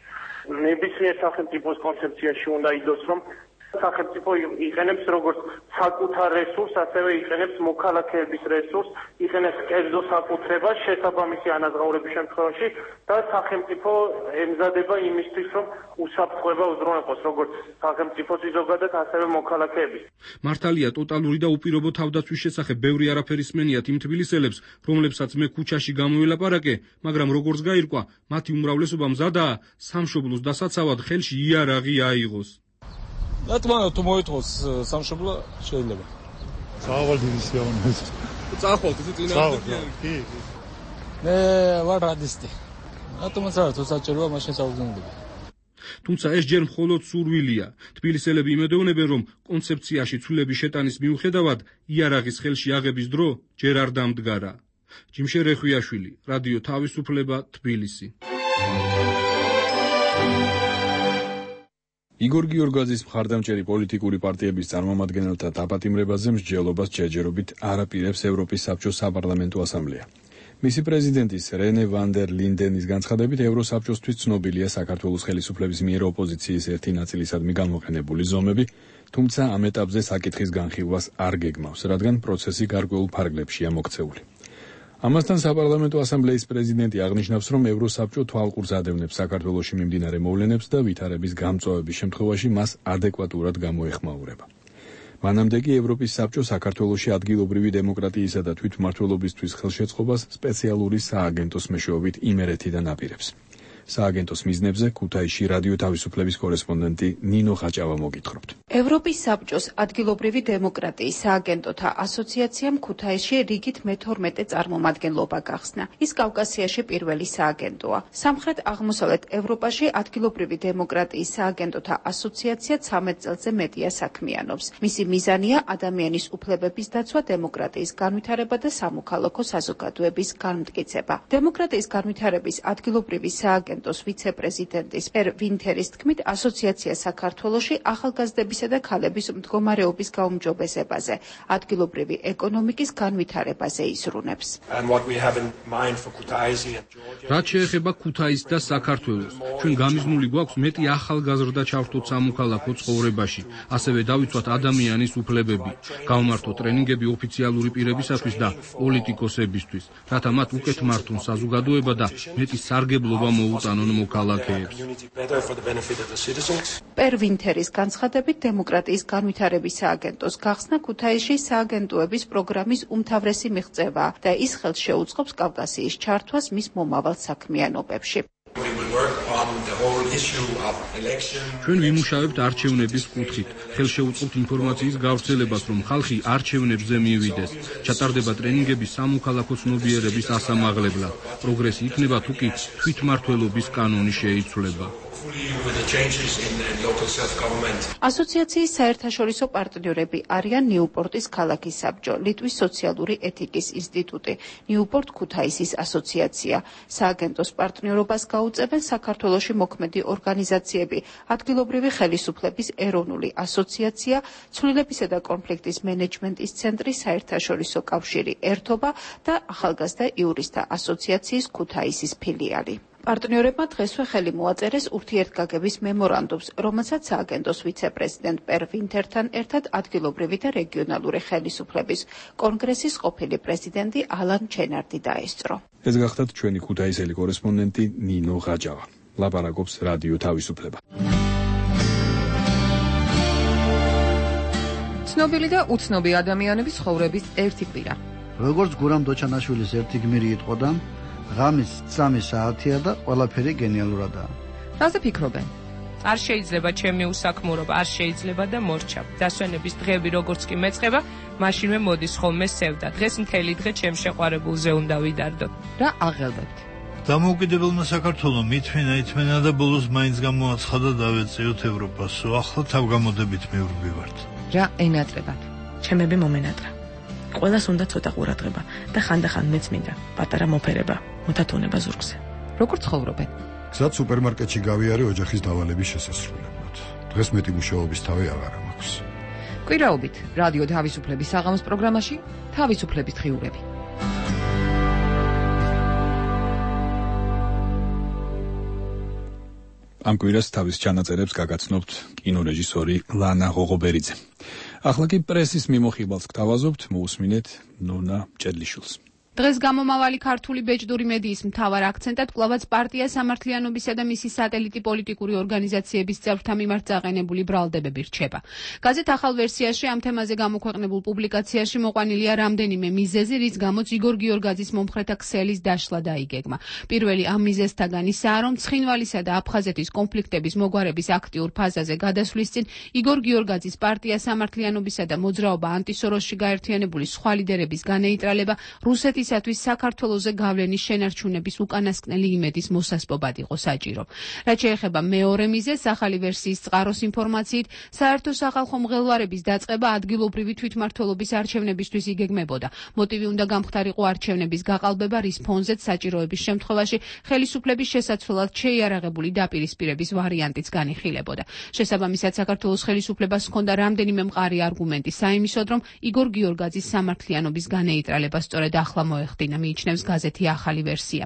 ნებისმიერ სახელმწიფოს კონცეფციაში უნდა იდოს, რომ სახელმწიფო იყენებს როგორც საკუთარ რესურსს, ასევე იყენებს მოქალაქეების რესურსს, იყენებს კერძო საკუთრებას შესაბამისი ანაზღაურების შემთხვევაში და სახელმწიფო ემზადება იმისთვის, რომ უსაფრთხოება უზრუნველყოს როგორც სახელმწიფოს ზოგადად, ასევე მოქალაქეების. მართალია, ტოტალური და უპირობო თავდაცვის შესახებ ბევრი არაფერი სმენიათ იმ თბილისელებს, რომლებსაც მე ქუჩაში გამოველაპარაკე, მაგრამ როგორც გაირკვა, მათი უმრავლესობა მზადაა სამშობლოს დასაცავად ხელში იარაღი აიღოს. რატომ თუ მოითხოვს სამშობლო შეიძლება. წავალ დიდი სიამოვნებით. წახვალ თუ წინააღმდეგია. კი. მე ვარ რადისტი. რატომაც არა თუ საჭიროა მაშინ საუბრობთ. თუმცა ეს ჯერ მხოლოდ სურვილია. თბილისელები იმედოვნებენ, რომ კონცეფციაში ცვლილების შეტანის მიუხედავად იარაღის ხელში აღების დრო ჯერ არ დამდგარა. ჯიმშე რეხვიაშვილი, რადიო თავისუფლება, თბილისი. იგორ გიორგაძის მხარდამჭერი პოლიტიკური პარტიების წარმომადგენელთა დაპატიმრებაზე მსჯელობას ჯერჯერობით არაპირებს ევროპის საბჭოს საპარლამენტო ასამბლეა. მისი პრეზიდენტის რენე ვან დერ ლინდენის განცხადებით ევროსაბჭოსთვის ცნობილია საქართველოს ხელისუფლების მიერ ოპოზიციის ერთი ნაწილისადმი გამოყენებული ზომები, თუმცა ამ ეტაპზე საკითხის განხილვას არ გეგმავს, რადგან პროცესი გარკვეულ ფარგლებშია მოქცეული. ამასთან საპარლამენტო ასამბლეის პრეზიდენტი აღნიშნავს, რომ ევროსაბჭო თვალყურს ადევნებს საქართველოში მიმდინარე მოვლენებს და ვითარების გამწვავების შემთხვევაში მას ადეკვატურად გამოეხმაურება. მანამდე კი ევროპის საბჭო საქართველოში ადგილობრივი დემოკრატიისა და თვითმმართველობისთვის ხელშეწყობას სპეციალური სააგენტოს მეშვეობით იმერეთიდან აპირებს. სააგენტოს მიზნებზე ქუთაისში რადიო თავისუფლების კორესპონდენტი ნინო ხაჭავა მოგითხრობთ. ევროპის საბჭოს ადგილობრივი დემოკრატიის სააგენტოთა ასოციაციამ ქუთაისში რიგით მე-12 წარმომადგენლობა გახსნა. ის კავკასიაში პირველი სააგენტოა. სამხრეთ-აღმოსავლეთ ევროპაში ადგილობრივი დემოკრატიის სააგენტოთა ასოციაცია 13 წელზე მეტია საქმიანობს. მისი მიზანია ადამიანის უფლებების დაცვა, დემოკრატიის განვითარება და სამოქალაქო საზოგადოების განმტკიცება. დემოკრატიის განვითარების ადგილობრივი სააგენტოს ვიცე-პრეზიდენტის პერ ვინთერის თქმით, ასოციაცია საქართველოში ახალგაზრდებისა და ქალების მდგომარეობის გაუმჯობესებაზე, ადგილობრივი ეკონომიკის განვითარებაზე იზრუნებს. რაც შეეხება ქუთაისს და საქართველოს, ჩვენ გამიზნული გვაქვს მეტი ახალგაზრდა ჩავთოთ სამოქალაქო ცხოვრებაში, ასევე დავიცვათ ადამიანის უფლებები, გავმართოთ ტრენინგები ოფიციალური პირებისათვის და პოლიტიკოსებისთვის, რათა მათ უკეთ მართონ საზოგადოება და მეტი სარგებლობა მოუწოდონ მოქალაქეებს. პერ ვინთერის განცხადებით, დემოკრატიის განვითარების სააგენტოს გახსნა ქუთაისში სააგენტოების პროგრამის უმთავრესი მიღწევაა და ის ხელს შეუწყობს კავკასიის ჩართვას მის მომავალ საქმიანობებში. ჩვენ ვიმუშავებთ არჩევნების კუთხით, ხელშეუწყობთ ინფორმაციის გავრცელებას, რომ ხალხი არჩევნებზე მივიდეს. ჩატარდება ტრენინგები სამოქალაქო ცნობიერების ასამაღლებლად. პროგრესი იქნება თუ კი თვითმმართველობის კანონი შეიცვლება. ასოციაციის საერთაშორისო პარტნიორები არიან ნიუპორტის ქალაქის საბჭო, ლიტვის სოციალური ეთიკის ინსტიტუტი, ნიუპორტ ქუთაისის ასოციაცია. სააგენტოს პარტნიორობას გაუწევენ საქართველოში მოქმედი ორგანიზაციები, ადგილობრივი ხელისუფლების ეროვნული ასოციაცია, ცვლილებისა და კონფლიქტის მენეჯმენტის ცენტრი, საერთაშორისო კავშირი ერთობა და ახალგაზრდა იურისტთა ასოციაციის ქუთაისის ფილიალი. პარტნიორებმა დღესვე ხელი მოაწერეს ურთიერთგაგების მემორანდუმს, რომელსაც სააგენტოს ვიცე-პრეზიდენტ პერ ვინთერთან ერთად ადგილობრივი და რეგიონალური ხელისუფლების კონგრესის ყოფილი პრეზიდენტი ალან ჩენარდი დაესწრო. ეს გახლავთ ჩვენი ქუთაისელი კორესპონდენტი ნინო ხაჭავა. ლაპარაკობს რადიო თავისუფლება. ცნობილი და უცნობი ადამიანების ცხოვრების ერთი კვირა. როგორც გურამ დოჩანაშვილის ერთი გმირი იტყოდა, ღამის 3 საათია და ყველაფერი გენიალურადაა. რაზე ფიქრობენ? არ შეიძლება ჩემი უსაქმურობა, არ შეიძლება და მორჩა. დასვენების დღეები როგორც კი მეწყება, მაშინვე მოდის ხოლმე სევდა. დღეს მთელი დღე ჩემ შეყვარებულზე უნდა ვიდარდო. რა აღელვებთ? დამოუკიდებელმა საქართველომ ითმენა და ბოლოს მაინც გამოაცხადა დავეწიოთ ევროპასო. ახლა თავგამოდებით მივრბივართ. რა ენატრებათ? ჩემები მომენატრა. ყველას უნდა ცოტა ყურადღება და ხანდახან მეც მინდა პატარა მოფერება, მothatონება ზურგზე. როგორ ცხოვრობენ? გზად სუპერმარკეტში გავიარე ოჯახის დავალების შესასრულებლად. დღეს მეტი მუშაობის თავი აღარ მაქვს. კვირაობით რადიო თავისუფლების საღამოს პროგრამაში თავისუფლების დღიურები. ამ კვირას თავის ჩანაწერებს გაგაცნობთ კინორეჟისორი ლანა ღოღობერიძე. ახლა კი პრესის მიმოხილვას გთავაზობთ, მოусმინეთ ნონა ჭედლიშვილს. დღეს გამომავალი ქართული ბეჭდური მედიის მთავარ აქცენტად კვლავაც პარტია სამართლიანობისა და მისი სატელიტი პოლიტიკური ორგანიზაციების წევრთა მიმართ წაყენებული ბრალდებები რჩება. გაზეთ ახალ ვერსიაში ამ თემაზე გამოქვეყნებულ პუბლიკაციაში მოყვანილია რამდენიმე მიზეზი, რის გამოც იგორ გიორგაძის მომხრეთა ქსელის დაშლა დაიგეგმა. პირველი ამ მიზეზთაგან ისაა, რომ ცხინვალისა და აფხაზეთის კონფლიქტების მოგვარების აქტიურ ფაზაზე გადასვლის წინ იგორ გიორგაძის პარტია სამართლიანობისა და მოძრაობა ანტისოროსში გაერთიანებული სხვა ლიდერების განეიტრალება რუსეთის მისთვის საქართველოზე გავლენის შენარჩუნების უკანასკნელი იმედის მოსასპობად იყო საჭირო. რაც შეეხება მეორე მიზეზს, ახალი ვერსიის წყაროს ინფორმაციით, საერთო სახალხო მღელვარების დაწყება ადგილობრივი თვითმმართველობის არჩევნებისთვის იგეგმებოდა. მოტივი უნდა გამხდარიყო არჩევნების გაყალბება, რის ფონზეც საჭიროების შემთხვევაში ხელისუფლების შესაცვლელად შეიარაღებული დაპირისპირების ვარიანტიც განიხილებოდა. შესაბამისად, საქართველოს ხელისუფლებას ჰქონდა რამდენიმე მყარი არგუმენტი საიმისოდ, რომ იგორ გიორგაძის სამართლიანობის განეიტრალება სწორედ ახლა მოეხდინა, მიიჩნევს გაზეთი ახალი ვერსია.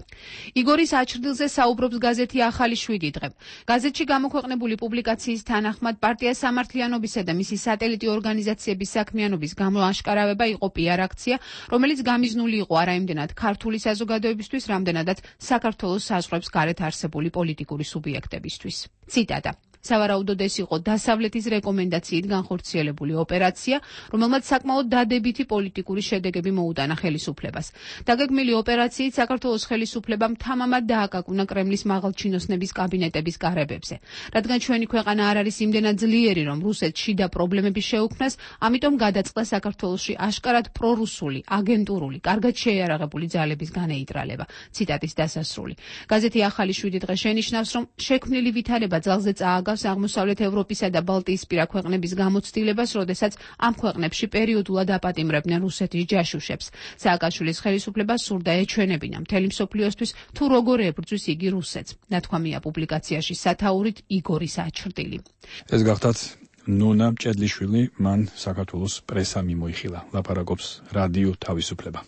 იგორის აჩრდილზე საუბრობს გაზეთი ახალი 7 დღე. გაზეთში გამოქვეყნებული პუბლიკაციის თანახმად, პარტია სამართლიანობისა და მისი სატელიტი ორგანიზაციების საქმიანობის გამოაშკარავება იყო პიარ აქცია, რომელიც გამიზნული იყო არაიმდენად ქართული საზოგადოებისთვის, რამდენადაც საქართველოს საზღვრებს გარეთ არსებული პოლიტიკური სუბიექტებისთვის. ციტატა: სავარაუდოდ ეს იყო დასავლეთის რეკომენდაციით განხორციელებული ოპერაცია, რომელმაც საკმაოდ დადებითი პოლიტიკური შედეგები მოუტანა ხელისუფლებას. დაგეგმილი ოპერაციით საქართველოს ხელისუფლებამ თამამად დააკაკუნა კრემლის მაღალჩინოსნების კაბინეტების კარებებზე. რადგან ჩვენი ქვეყანა არ არის იმდენად ძლიერი, რომ რუსეთს შიდა პრობლემები შეუქმნას, ამიტომ გადაწყდა საქართველოში აშკარად პრორუსული, აგენტურული, კარგად შეიარაღებული ძალების განეიტრალება. ციტატის დასასრული. გაზეთი ახალი 7 დღე შენიშნავს, რომ შექმნილი ვითარება ძალზე წააგავს აღმოსავლეთ ევროპისა და ბალტიისპირა ქვეყნების გამოცდილებას, როდესაც ამ ქვეყნებში პერიოდულად აპატიმრებდნენ რუსეთის ჯაშუშებს. სააკაშვილის ხელისუფლება სურდა ეჩვენებინა მთელი მსოფლიოსთვის, თუ როგორ ებრძვის იგი რუსეთს. ნათქვამია პუბლიკაციაში სათაურით იგორის აჩრდილი. ეს გახდათ ნონა მჭედლიშვილი, მან საქართველოს პრესა მიმოიხილა. ლაპარაკობს რადიო თავისუფლება.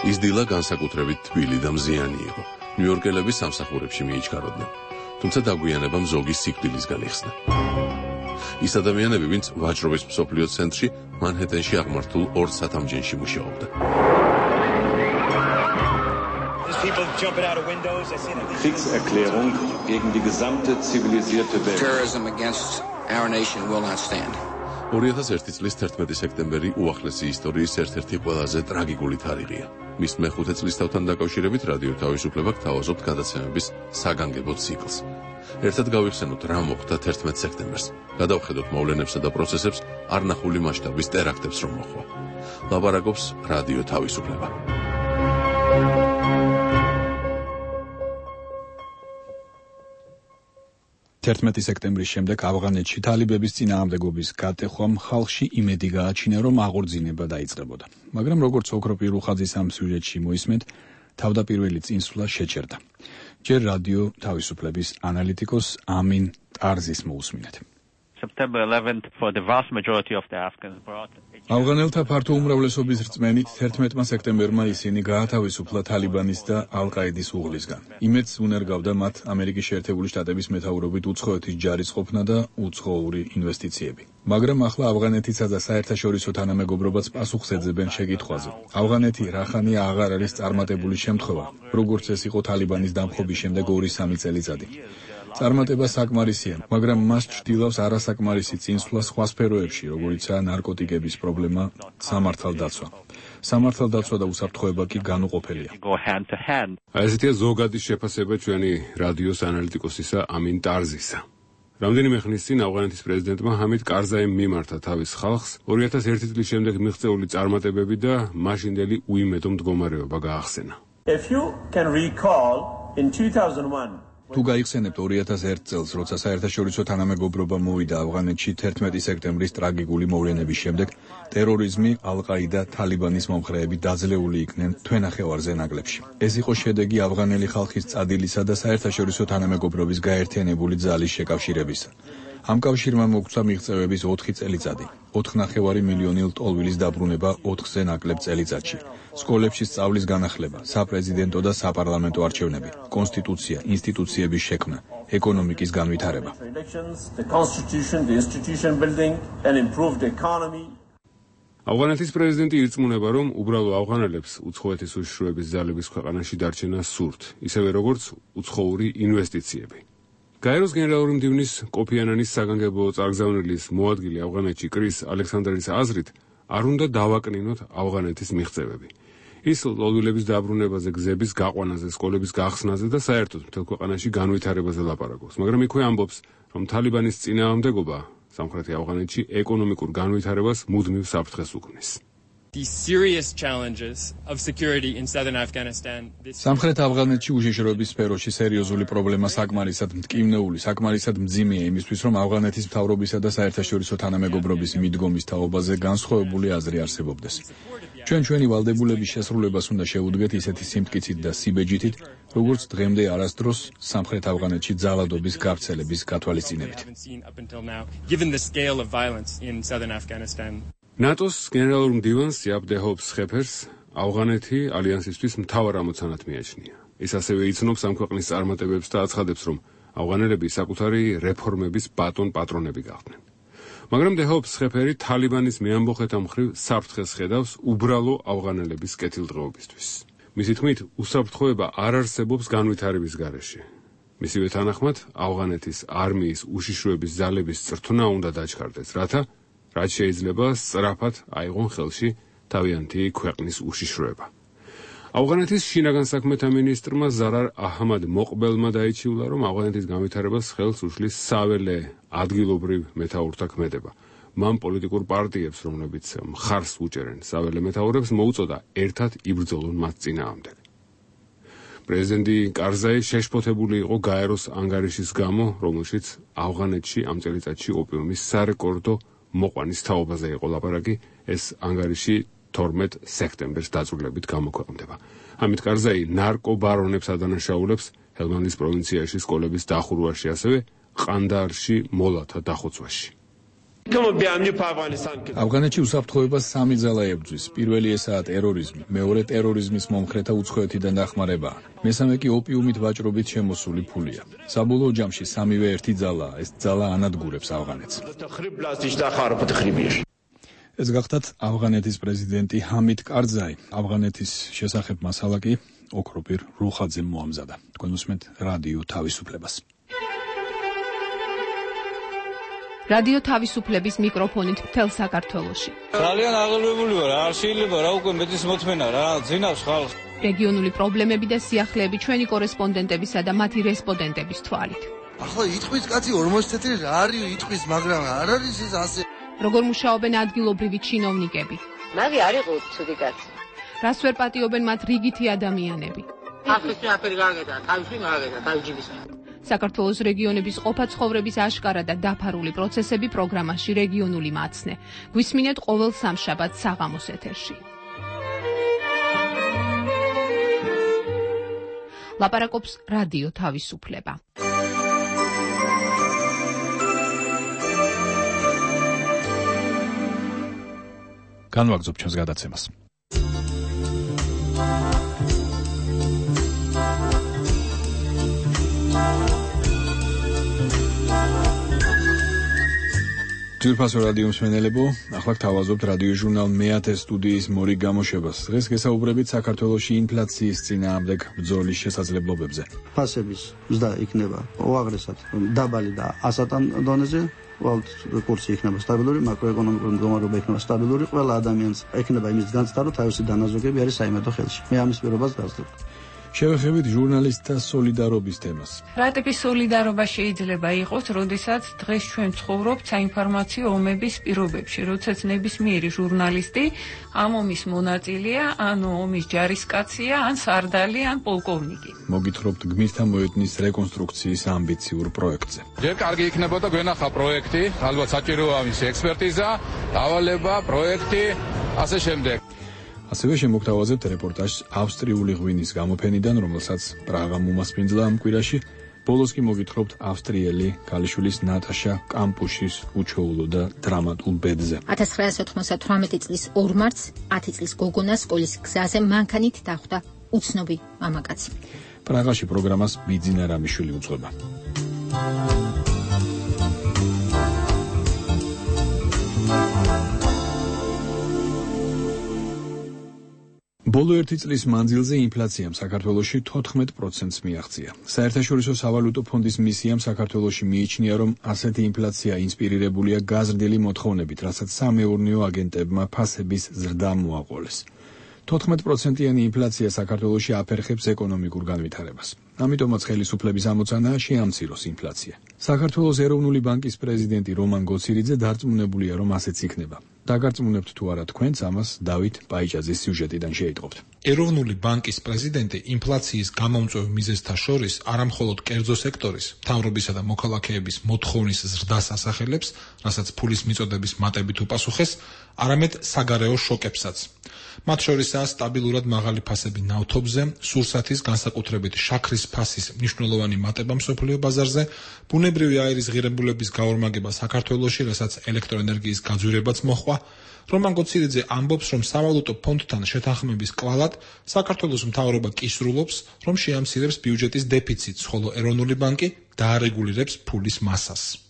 ის დილა განსაკუთრებით თბილი და მზიანი იყო. ნიუ-იორკელები სამსახურებში მიიჩქაროდნენ, თუმცა დაგვიანებამ ზოგის სიკვდილისგან იხსნა. ის ადამიანები, ვინც ვაჭრობის მსოფლიო ცენტრში მანჰეტენში აღმართულ ორ სათამჯენში მუშაობდა. Kriegserklärung gegen die gesamte zivilisierte Welt. Terrorism against our nation will not stand. 2001 წლის 11 სექტემბერი უახლესი ისტორიის ერთ-ერთი ყველაზე ტრაგიკული თარიღია. მის მეხუთე წლისთავთან დაკავშირებით რადიო თავისუფლება გთავაზობთ გადაცემების საგანგებო ციკლს. ერთად გავიხსენოთ რა მოხდა 11 სექტემბერს. გადავხედოთ მოვლენებსა და პროცესებს არნახული მასშტაბის ტერაქტებს რომ მოხდა. ლაპარაკობს რადიო თავისუფლება. 11 სექტემბრის შემდეგ ავღანეთში თალიბების წინააღმდეგობის გატეხვამ ხალხში იმედი გააჩინა, რომ აღორძინება დაიწყებოდა. მაგრამ როგორც ოქრო პირუხაძის ამ სიუჟეტში მოისმენთ, თავდაპირველი წინსვლა შეჩერდა. ჯერ რადიო თავისუფლების ანალიტიკოს ამინ ტარზის მოусმინეთ. September 11th for the vast majority of the Afghans brought ავღანელთა ფართო უმრავლესობის რწმენით 11 სექტემბერმა ისინი გაათავისუფლა თალიბანის და ალ-ყაიდის უღლისგან. იმედს უნერგავდა მათ ამერიკის შეერთებული შტატების მეთაურობით უცხოეთის ჯარის ყოფნა და უცხოური ინვესტიციები. მაგრამ ახლა ავღანეთისა და საერთაშორისო თანამეგობრობაც პასუხს ეძებენ შეკითხვაზე. ავღანეთი რახანია აღარ არის წარმატებული შემთხვევა, როგორც ეს იყო თალიბანის დამხობის შემდეგ 2-3 წელიწადი. წარმატება საკმარისია, მაგრამ მას ჭდილავს არასაკმარისი წინსვლა სხვა სფეროებში, როგორიცაა ნარკოტიკების პრობლემა, სამართალდაცვა. სამართალდაცვა და უსაფრთხოება კი განუყოფელია. ესეთია ზოგადი შეფასება ჩვენი რადიოს ანალიტიკოსისა ამინ ტარზისა. რამდენიმე ხნის წინ ავღანეთის პრეზიდენტმა ჰამიდ კარზაიმ მიმართა თავის ხალხს 2001 წლის შემდეგ მიღწეული წარმატებები და მაშინდელი უიმედო მდგომარეობა გაახსენა. If you can recall in 2001 თუ გაიხსენებთ 2001 წელს, როცა საერთაშორისო თანამეგობრობა მოვიდა ავღანეთში 11 სექტემბრის ტრაგიკული მოვლენების შემდეგ, ტერორიზმი, ალ-ყაიდა, თალიბანის მომხრეები დაძლეული იქნენ თვენახევარზე ნაკლებში. ეს იყო შედეგი ავღანელი ხალხის წადილისა და საერთაშორისო თანამეგობრობის გაერთიანებული ძალის შეკავშირებისა. ამ კავშირმა მოგცა მიღწევების 4 წელიწადი, 4,5 მილიონი ლტოლვილის დაბრუნება 4-ზე ნაკლებ წელიწადში. სკოლებში სწავლის განახლება, საპრეზიდენტო და საპარლამენტო არჩევნები, კონსტიტუცია, ინსტიტუციების შექმნა, ეკონომიკის განვითარება. ავღანეთის პრეზიდენტი ირწმუნება, რომ უბრალო ავღანელებს უცხოეთის უშიშროების ძალების ქვეყანაში დარჩენა სურთ, ისევე როგორც უცხოური ინვესტიციები. გაეროს გენერალური მდივნის კოფი ანანის საგანგებო წარგზავნილის მოადგილე ავღანეთში კრის ალექსანდრის აზრით, არ უნდა დავაკნინოთ ავღანეთის მიღწევები. ის ლტოლვილების დაბრუნებაზე, გზების გაყვანაზე, სკოლების გახსნაზე და საერთოდ მთელ ქვეყანაში განვითარებაზე ლაპარაკობს. მაგრამ იქვე ამბობს, რომ თალიბანის წინააღმდეგობა სამხრეთი ავღანეთში ეკონომიკურ განვითარებას მუდმივ საფრთხეს უქმნის. the serious challenges of security in southern Afghanistan. სამხრეთ ავღანეთში უშიშროების სფეროში სერიოზული პრობლემა საკმარისად მტკივნეული, საკმარისად მძიმეა იმისთვის, რომ ავღანეთის მთავრობისა და საერთაშორისო თანამეგობრობის მიდგომის თაობაზე განსხვავებული აზრი არსებობდეს. ჩვენი ვალდებულების შესრულებას უნდა შევუდგეთ ისეთი სიმტკიცით და სიბეჯითით, როგორც დღემდე არასდროს სამხრეთ ავღანეთში ძალადობის გავრცელების გათვალისწინებით. ნატოს გენერალურ მდივანს იაპ დე ჰოპს ხეფერს ავღანეთი ალიანსისთვის მთავარ ამოცანად მიაჩნია. ის ასევე იცნობს ამ ქვეყნის წარმატებებს და აცხადებს, რომ ავღანელები საკუთარი რეფორმების ბატონ პატრონები გახდნენ. მაგრამ დე ჰოპს ხეფერი თალიბანის მეამბოხეთა მხრივ საფრთხეს ხედავს უბრალო ავღანელების კეთილდღეობისთვის. მისი თქმით, უსაფრთხოება არ არსებობს განვითარების გარეშე. მისივე თანახმად, ავღანეთის არმიის უშიშროების ძალების წრთნა უნდა დაჩქარდეს, რათა რაც შეიძლება სწრაფად აიღონ ხელში თავიანთი ქვეყნის უშიშროება. ავღანეთის შინაგან საქმეთა მინისტრმა ზარარ აჰმად მოყბელმა დაიჩიულა, რომ ავღანეთის განვითარებას ხელს უშლის საველე ადგილობრივ მეთაურთა ქმედება. მან პოლიტიკურ პარტიებს, რომლებიც მხარს უჭერენ საველე მეთაურებს, მოუწოდა ერთად იბრძოლონ მათ წინააღმდეგ. პრეზიდენტი კარზაი შეშფოთებული იყო გაეროს ანგარიშის გამო, რომელშიც ავღანეთში ამ წელიწადში ოპიუმის სარეკორდო მოყვანის თაობაზე იყო ლაპარაკი. ეს ანგარიში 12 სექტემბერს დაწვრილებით გამოქვეყნდება. ამით კარზაი ნარკობარონებს ადანაშაულებს ჰელმანდის პროვინციაში სკოლების დახურვაში, ასევე ყანდაარში მოლათა დახოცვაში. ავღანეთში უსაფრთხოებას სამი ძალა ებრძვის. პირველი ესაა ტერორიზმი, მეორე ტერორიზმის მომხრეთა უცხოეთიდან დახმარება, მესამე კი ოპიუმით ვაჭრობით შემოსული ფულია. საბოლოო ჯამში სამივე ერთი ძალაა, ეს ძალა ანადგურებს ავღანეთს. ეს გახდათ ავღანეთის პრეზიდენტი ჰამიდ კარზაი. ავღანეთის შესახებ მასალა კი ოქროპირ რუხაძემ მოამზადა. თქვენ უსმენთ რადიო თავისუფლებას. რადიო თავისუფლების მიკროფონით მთელ საქართველოში. ძალიან აღელვებული ვარ, არ შეიძლება რა უკვე მეტის მოთმენა რა, ძინავს ხალხს. რეგიონული პრობლემები და სიახლეები ჩვენი კორესპონდენტებისა და მათი რესპონდენტების თვალით. ახლა იტყვის კაცი 40 თეთრი რა არის იტყვის, მაგრამ არ არის ეს ასე. როგორ მუშაობენ ადგილობრივი ჩინოვნიკები? მაგი არ იყო ცუდი კაცი. რას ვერ პატიობენ მათ რიგითი ადამიანები? ახლა აფერი გაგედა, თავში მაგედა, თავჯიბის. საქართველოს რეგიონების ყოფა ცხოვრების აშკარა და დაფარული პროცესები პროგრამაში რეგიონული მაცნე. გვისმინეთ ყოველ სამშაბათს საღამოს ეთერში. ლაპარაკობს რადიო თავისუფლება. განვაგრძობ ჩვენს გადაცემას. ძვირფასო რადიო მსმენელებო, ახლა გთავაზობთ რადიო ჟურნალ მეათე სტუდიის მორიგ გამოშვებას. დღეს გესაუბრებით საქართველოში ინფლაციის წინააღმდეგ ბრძოლის შესაძლებლობებზე. ფასების ზრდა იქნება უაღრესად დაბალი და ასატან დონეზე. კურსი იქნება სტაბილური, მაკროეკონომიკური მდგომარეობა იქნება სტაბილური, ყველა ადამიანს ექნება იმის განცდა, რომ თავისი დანაზოგები არის საიმედო ხელში. მე ამის პირობას გავსდებ. შევეხებით ჟურნალისტთა სოლიდარობის თემას. რა ტიპის სოლიდარობა შეიძლება იყოს, როდესაც დღეს ჩვენ ცხოვრობთ საინფორმაციო ომების პირობებში, როდესაც ნებისმიერი ჟურნალისტი ამ ომის მონაწილეა, ან ომის ჯარისკაცია, ან სარდალი, ან პოლკოვნიკი. მოგითხრობთ გმირთა მოედნის რეკონსტრუქციის ამბიციურ პროექტზე. ჯერ კარგი იქნებოდა გვენახა პროექტი, ალბათ საჭიროა მისი ექსპერტიზა, დავალება, პროექტი, ასე შემდეგ. ასევე შემოგთავაზებთ რეპორტაჟს ავსტრიული ღვინის გამოფენიდან, რომელსაც პრაღა მომასპინძლა ამ კვირაში. ბოლოს კი მოგითხრობთ ავსტრიელი ქალიშვილის ნატაშა კამპუშის უჩვეულო და დრამატულ ბედზე. 1998 წლის 2 მარტს 10 წლის გოგონას სკოლის გზაზე მანქანით დახვდა უცნობი მამაკაცი. პრაღაში პროგრამას ბიძინა რამიშვილი უძღვება. ბოლო 1 წლის მანძილზე ინფლაციამ საქართველოში 14%-ს მიაღწია. საერთაშორისო სავალუტო ფონდის მისიამ საქართველოში მიიჩნია, რომ ასეთი ინფლაცია ინსპირირებულია გაზრდილი მოთხოვნებით, რასაც სამეურნეო აგენტებმა ფასების ზრდა მოაყოლეს. 14%-იანი ინფლაცია საქართველოში აფერხებს ეკონომიკურ განვითარებას. ამიტომაც ხელისუფლების ამოცანაა შეამციროს ინფლაცია. საქართველოს ეროვნული ბანკის პრეზიდენტი რომან გოცირიძე დარწმუნებულია, რომ ასეც იქნება. დაგარწმუნებთ თუ არა თქვენც, ამას დავით პაიჭაძის სიუჟეტიდან შეიტყობთ. ეროვნული ბანკის პრეზიდენტი ინფლაციის გამომწვევ მიზეზთა შორის არამხოლოდ კერძო სექტორის, მთავრობისა და მოქალაქეების მოთხოვნის ზრდას ასახელებს, რასაც ფულის მიწოდების მატებით უპასუხეს, არამედ საგარეო შოკებსაც. მათ შორისაა სტაბილურად მაღალი ფასები ნავთობზე, სურსათის, განსაკუთრებით შაქრის ფასის მნიშვნელოვანი მატება მსოფლიო ბაზარზე, ბუნებრივი აირის ღირებულების გაორმაგება საქართველოში, რასაც ელექტროენერგიის გაძვირებაც მოჰყვა. რომან გოცირიძე ამბობს, რომ სავალუტო ფონდთან შეთანხმების კვალად საქართველოს მთავრობა კისრულობს, რომ შეამცირებს ბიუჯეტის დეფიციტს, ხოლო ეროვნული ბანკი დაარეგულირებს ფულის მასას.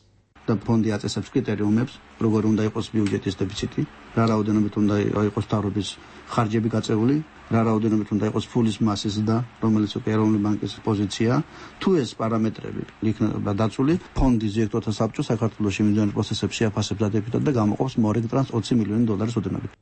და ფონდი აწესებს კრიტერიუმებს, როგორ უნდა იყოს ბიუჯეტის დეფიციტი, რა რაოდენობით უნდა იყოს მთავრობის ხარჯები გაწეული, რა რაოდენობით უნდა იყოს ფულის მასის და რომელიც უკვე ეროვნული ბანკის პოზიცია. თუ ეს პარამეტრები იქნება დაცული, ფონდის დირექტორთა საბჭო საქართველოში მიმდინარე პროცესებში აფასებს დადებითად და გამოყოფს მორეგტრანს $20 მილიონი ოდენობით.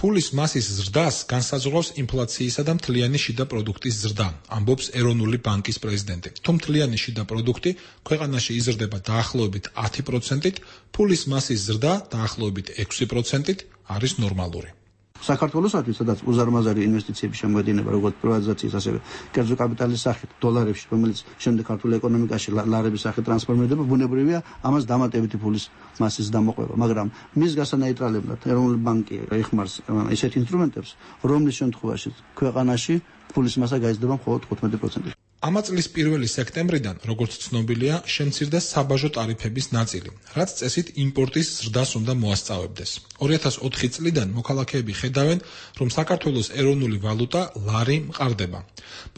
ფულის მასის ზრდას განსაზღვრავს ინფლაციისა და მთლიანი შიდა პროდუქტის ზრდა, ამბობს ეროვნული ბანკის პრეზიდენტი. თუ მთლიანი შიდა პროდუქტი ქვეყანაში იზრდება დაახლოებით 10%-ით, ფულის მასის ზრდა დაახლოებით 6%-ით არის ნორმალური. საქართველოსთვის, სადაც უზარმაზარი ინვესტიციები შემოედინება როგორც პრივატიზაციის, ასევე კერძო კაპიტალის სახით, დოლარებში, რომელიც შემდეგ ქართულ ეკონომიკაში ლარების სახით ტრანსფორმირდება, ბუნებრივია ამას დამატებითი ფულის მასის დამოყვება, მაგრამ მის გასანეიტრალებლად ეროვნული ბანკი ეხმარს ისეთ ინსტრუმენტებს, რომლის შემთხვევაში ქვეყანაში ფულის მასა გაიზრდება მხოლოდ 15%. ამა წლის 1 სექტემბრიდან, როგორც ცნობილია, შემცირდა საბაჟო ტარიფების ნაწილი, რაც წესით იმპორტის ზრდას უნდა მოასწავებდეს. 2004 წლიდან მოქალაქეები ხედავენ, რომ საქართველოს ეროვნული ვალუტა ლარი მყარდება.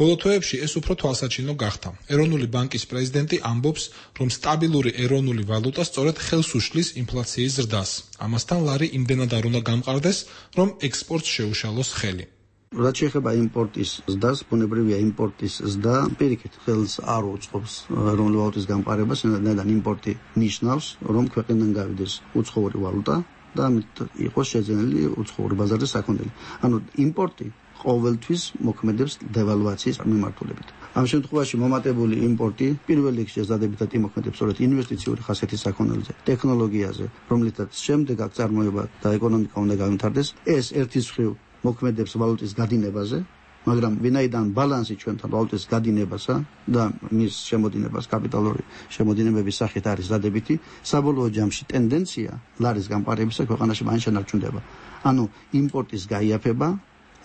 ბოლო თვეებში ეს უფრო თვალსაჩინო გახდა. ეროვნული ბანკის პრეზიდენტი ამბობს, რომ სტაბილური ეროვნული ვალუტა სწორედ ხელს უშლის ინფლაციის ზრდას. ამასთან ლარი იმდენად არ უნდა გამყარდეს, რომ ექსპორტს შეუშალოს ხელი. რაც შეეხება იმპორტის ზრდას, ბუნებრივია იმპორტის ზრდა პირიქით ხელს არ უწყობს ეროვნული ვალუტის გამყარებას, რადგან იმპორტი ნიშნავს, რომ ქვეყნიდან გავიდეს უცხოური ვალუტა და ამით იყოს შეძენილი უცხოური ბაზარის საქონელი. ანუ იმპორტი ყოველთვის მოქმედებს დევალვაციის მიმართულებით. ამ შემთხვევაში მომატებული იმპორტი პირველ რიგში ზადებითად იმოქმედებს სწორედ ინვესტიციური ხასიათის საქონელზე, ტექნოლოგიაზე, რომლითაც შემდეგ აკწარმოება და ეკონომიკა უნდა გავიმთავრდეს. ეს ერთის მხრივ მოქმედებს ვალუტის გადინებაზე, მაგრამ ვინაიდან ბალანსი ჩვენთან ვალუტის გადინებასა და მის შემოდინებას კაპიტალური შემოდინებების სახით არის დადებითი, საბოლოო ჯამში ტენდენცია ლარის გამყარებისა ქვეყანაში მაინც შენარჩუნდება. ანუ იმპორტის გაიაფება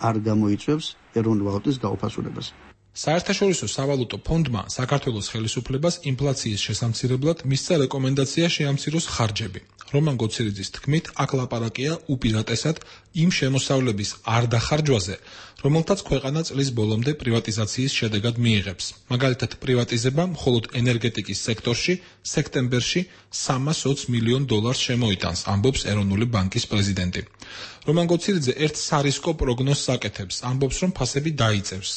არ გამოიწვევს ეროვნული ვალუტის გაუფასურებას. საერთაშორისო სავალუტო ფონდმა საქართველოს ხელისუფლებას ინფლაციის შესამცირებლად მისცა რეკომენდაცია შეამციროს ხარჯები. რომან გოცირიძის თქმით, აქ ლაპარაკია უპირატესად იმ შემოსავლების არ დახარჯვაზე, რომელთაც ქვეყანა წლის ბოლომდე პრივატიზაციის შედეგად მიიღებს. მაგალითად, პრივატიზება მხოლოდ ენერგეტიკის სექტორში სექტემბერში $320 მილიონ შემოიტანს, ამბობს ეროვნული ბანკის პრეზიდენტი. რომან გოცირიძე ერთ სარისკო პროგნოზს აკეთებს, ამბობს, რომ ფასები დაიწევს.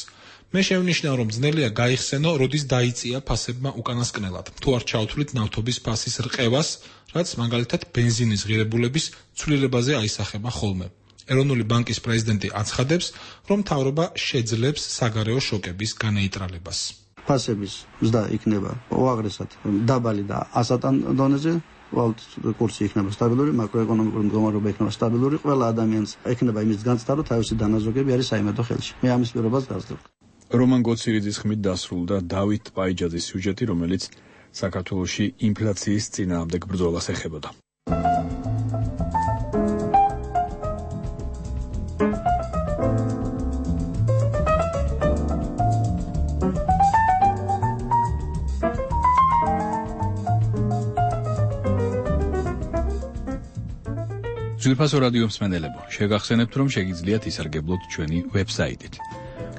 მე შევნიშნავ, რომ ძნელია გაიხსენო, როდის დაიწია ფასებმა უკანასკნელად. თუ არ ჩავთვლით ნავთობის ფასის რყევას, რაც მაგალითად ბენზინის ღირებულების ცვლილებაზე აისახება ხოლმე. ეროვნული ბანკის პრეზიდენტი აცხადებს, რომ მთავრობა შეძლებს საგარეო შოკების განეიტრალებას. ფასების ზრდა იქნება უაღრესად დაბალი და ასატან დონეზე. ვალუტის კურსი იქნება სტაბილური, მაკროეკონომიკური მდგომარეობა იქნება სტაბილური, ყველა ადამიანს ექნება იმის განცდა, რომ თავისი დანაზოგები არის საიმედო ხელში. მე ამის პირობას გასძლევ. რომან გოცირიძის ხმით დასრულდა დავით პაიჯაძის სიუჟეტი, რომელიც საქართველოში ინფლაციის წინააღმდეგ ბრძოლას ეხებოდა. ძვირფასო რადიო მსმენელებო, შეგახსენებთ, რომ შეგიძლიათ ისარგებლოთ ჩვენი ვებსაიტით,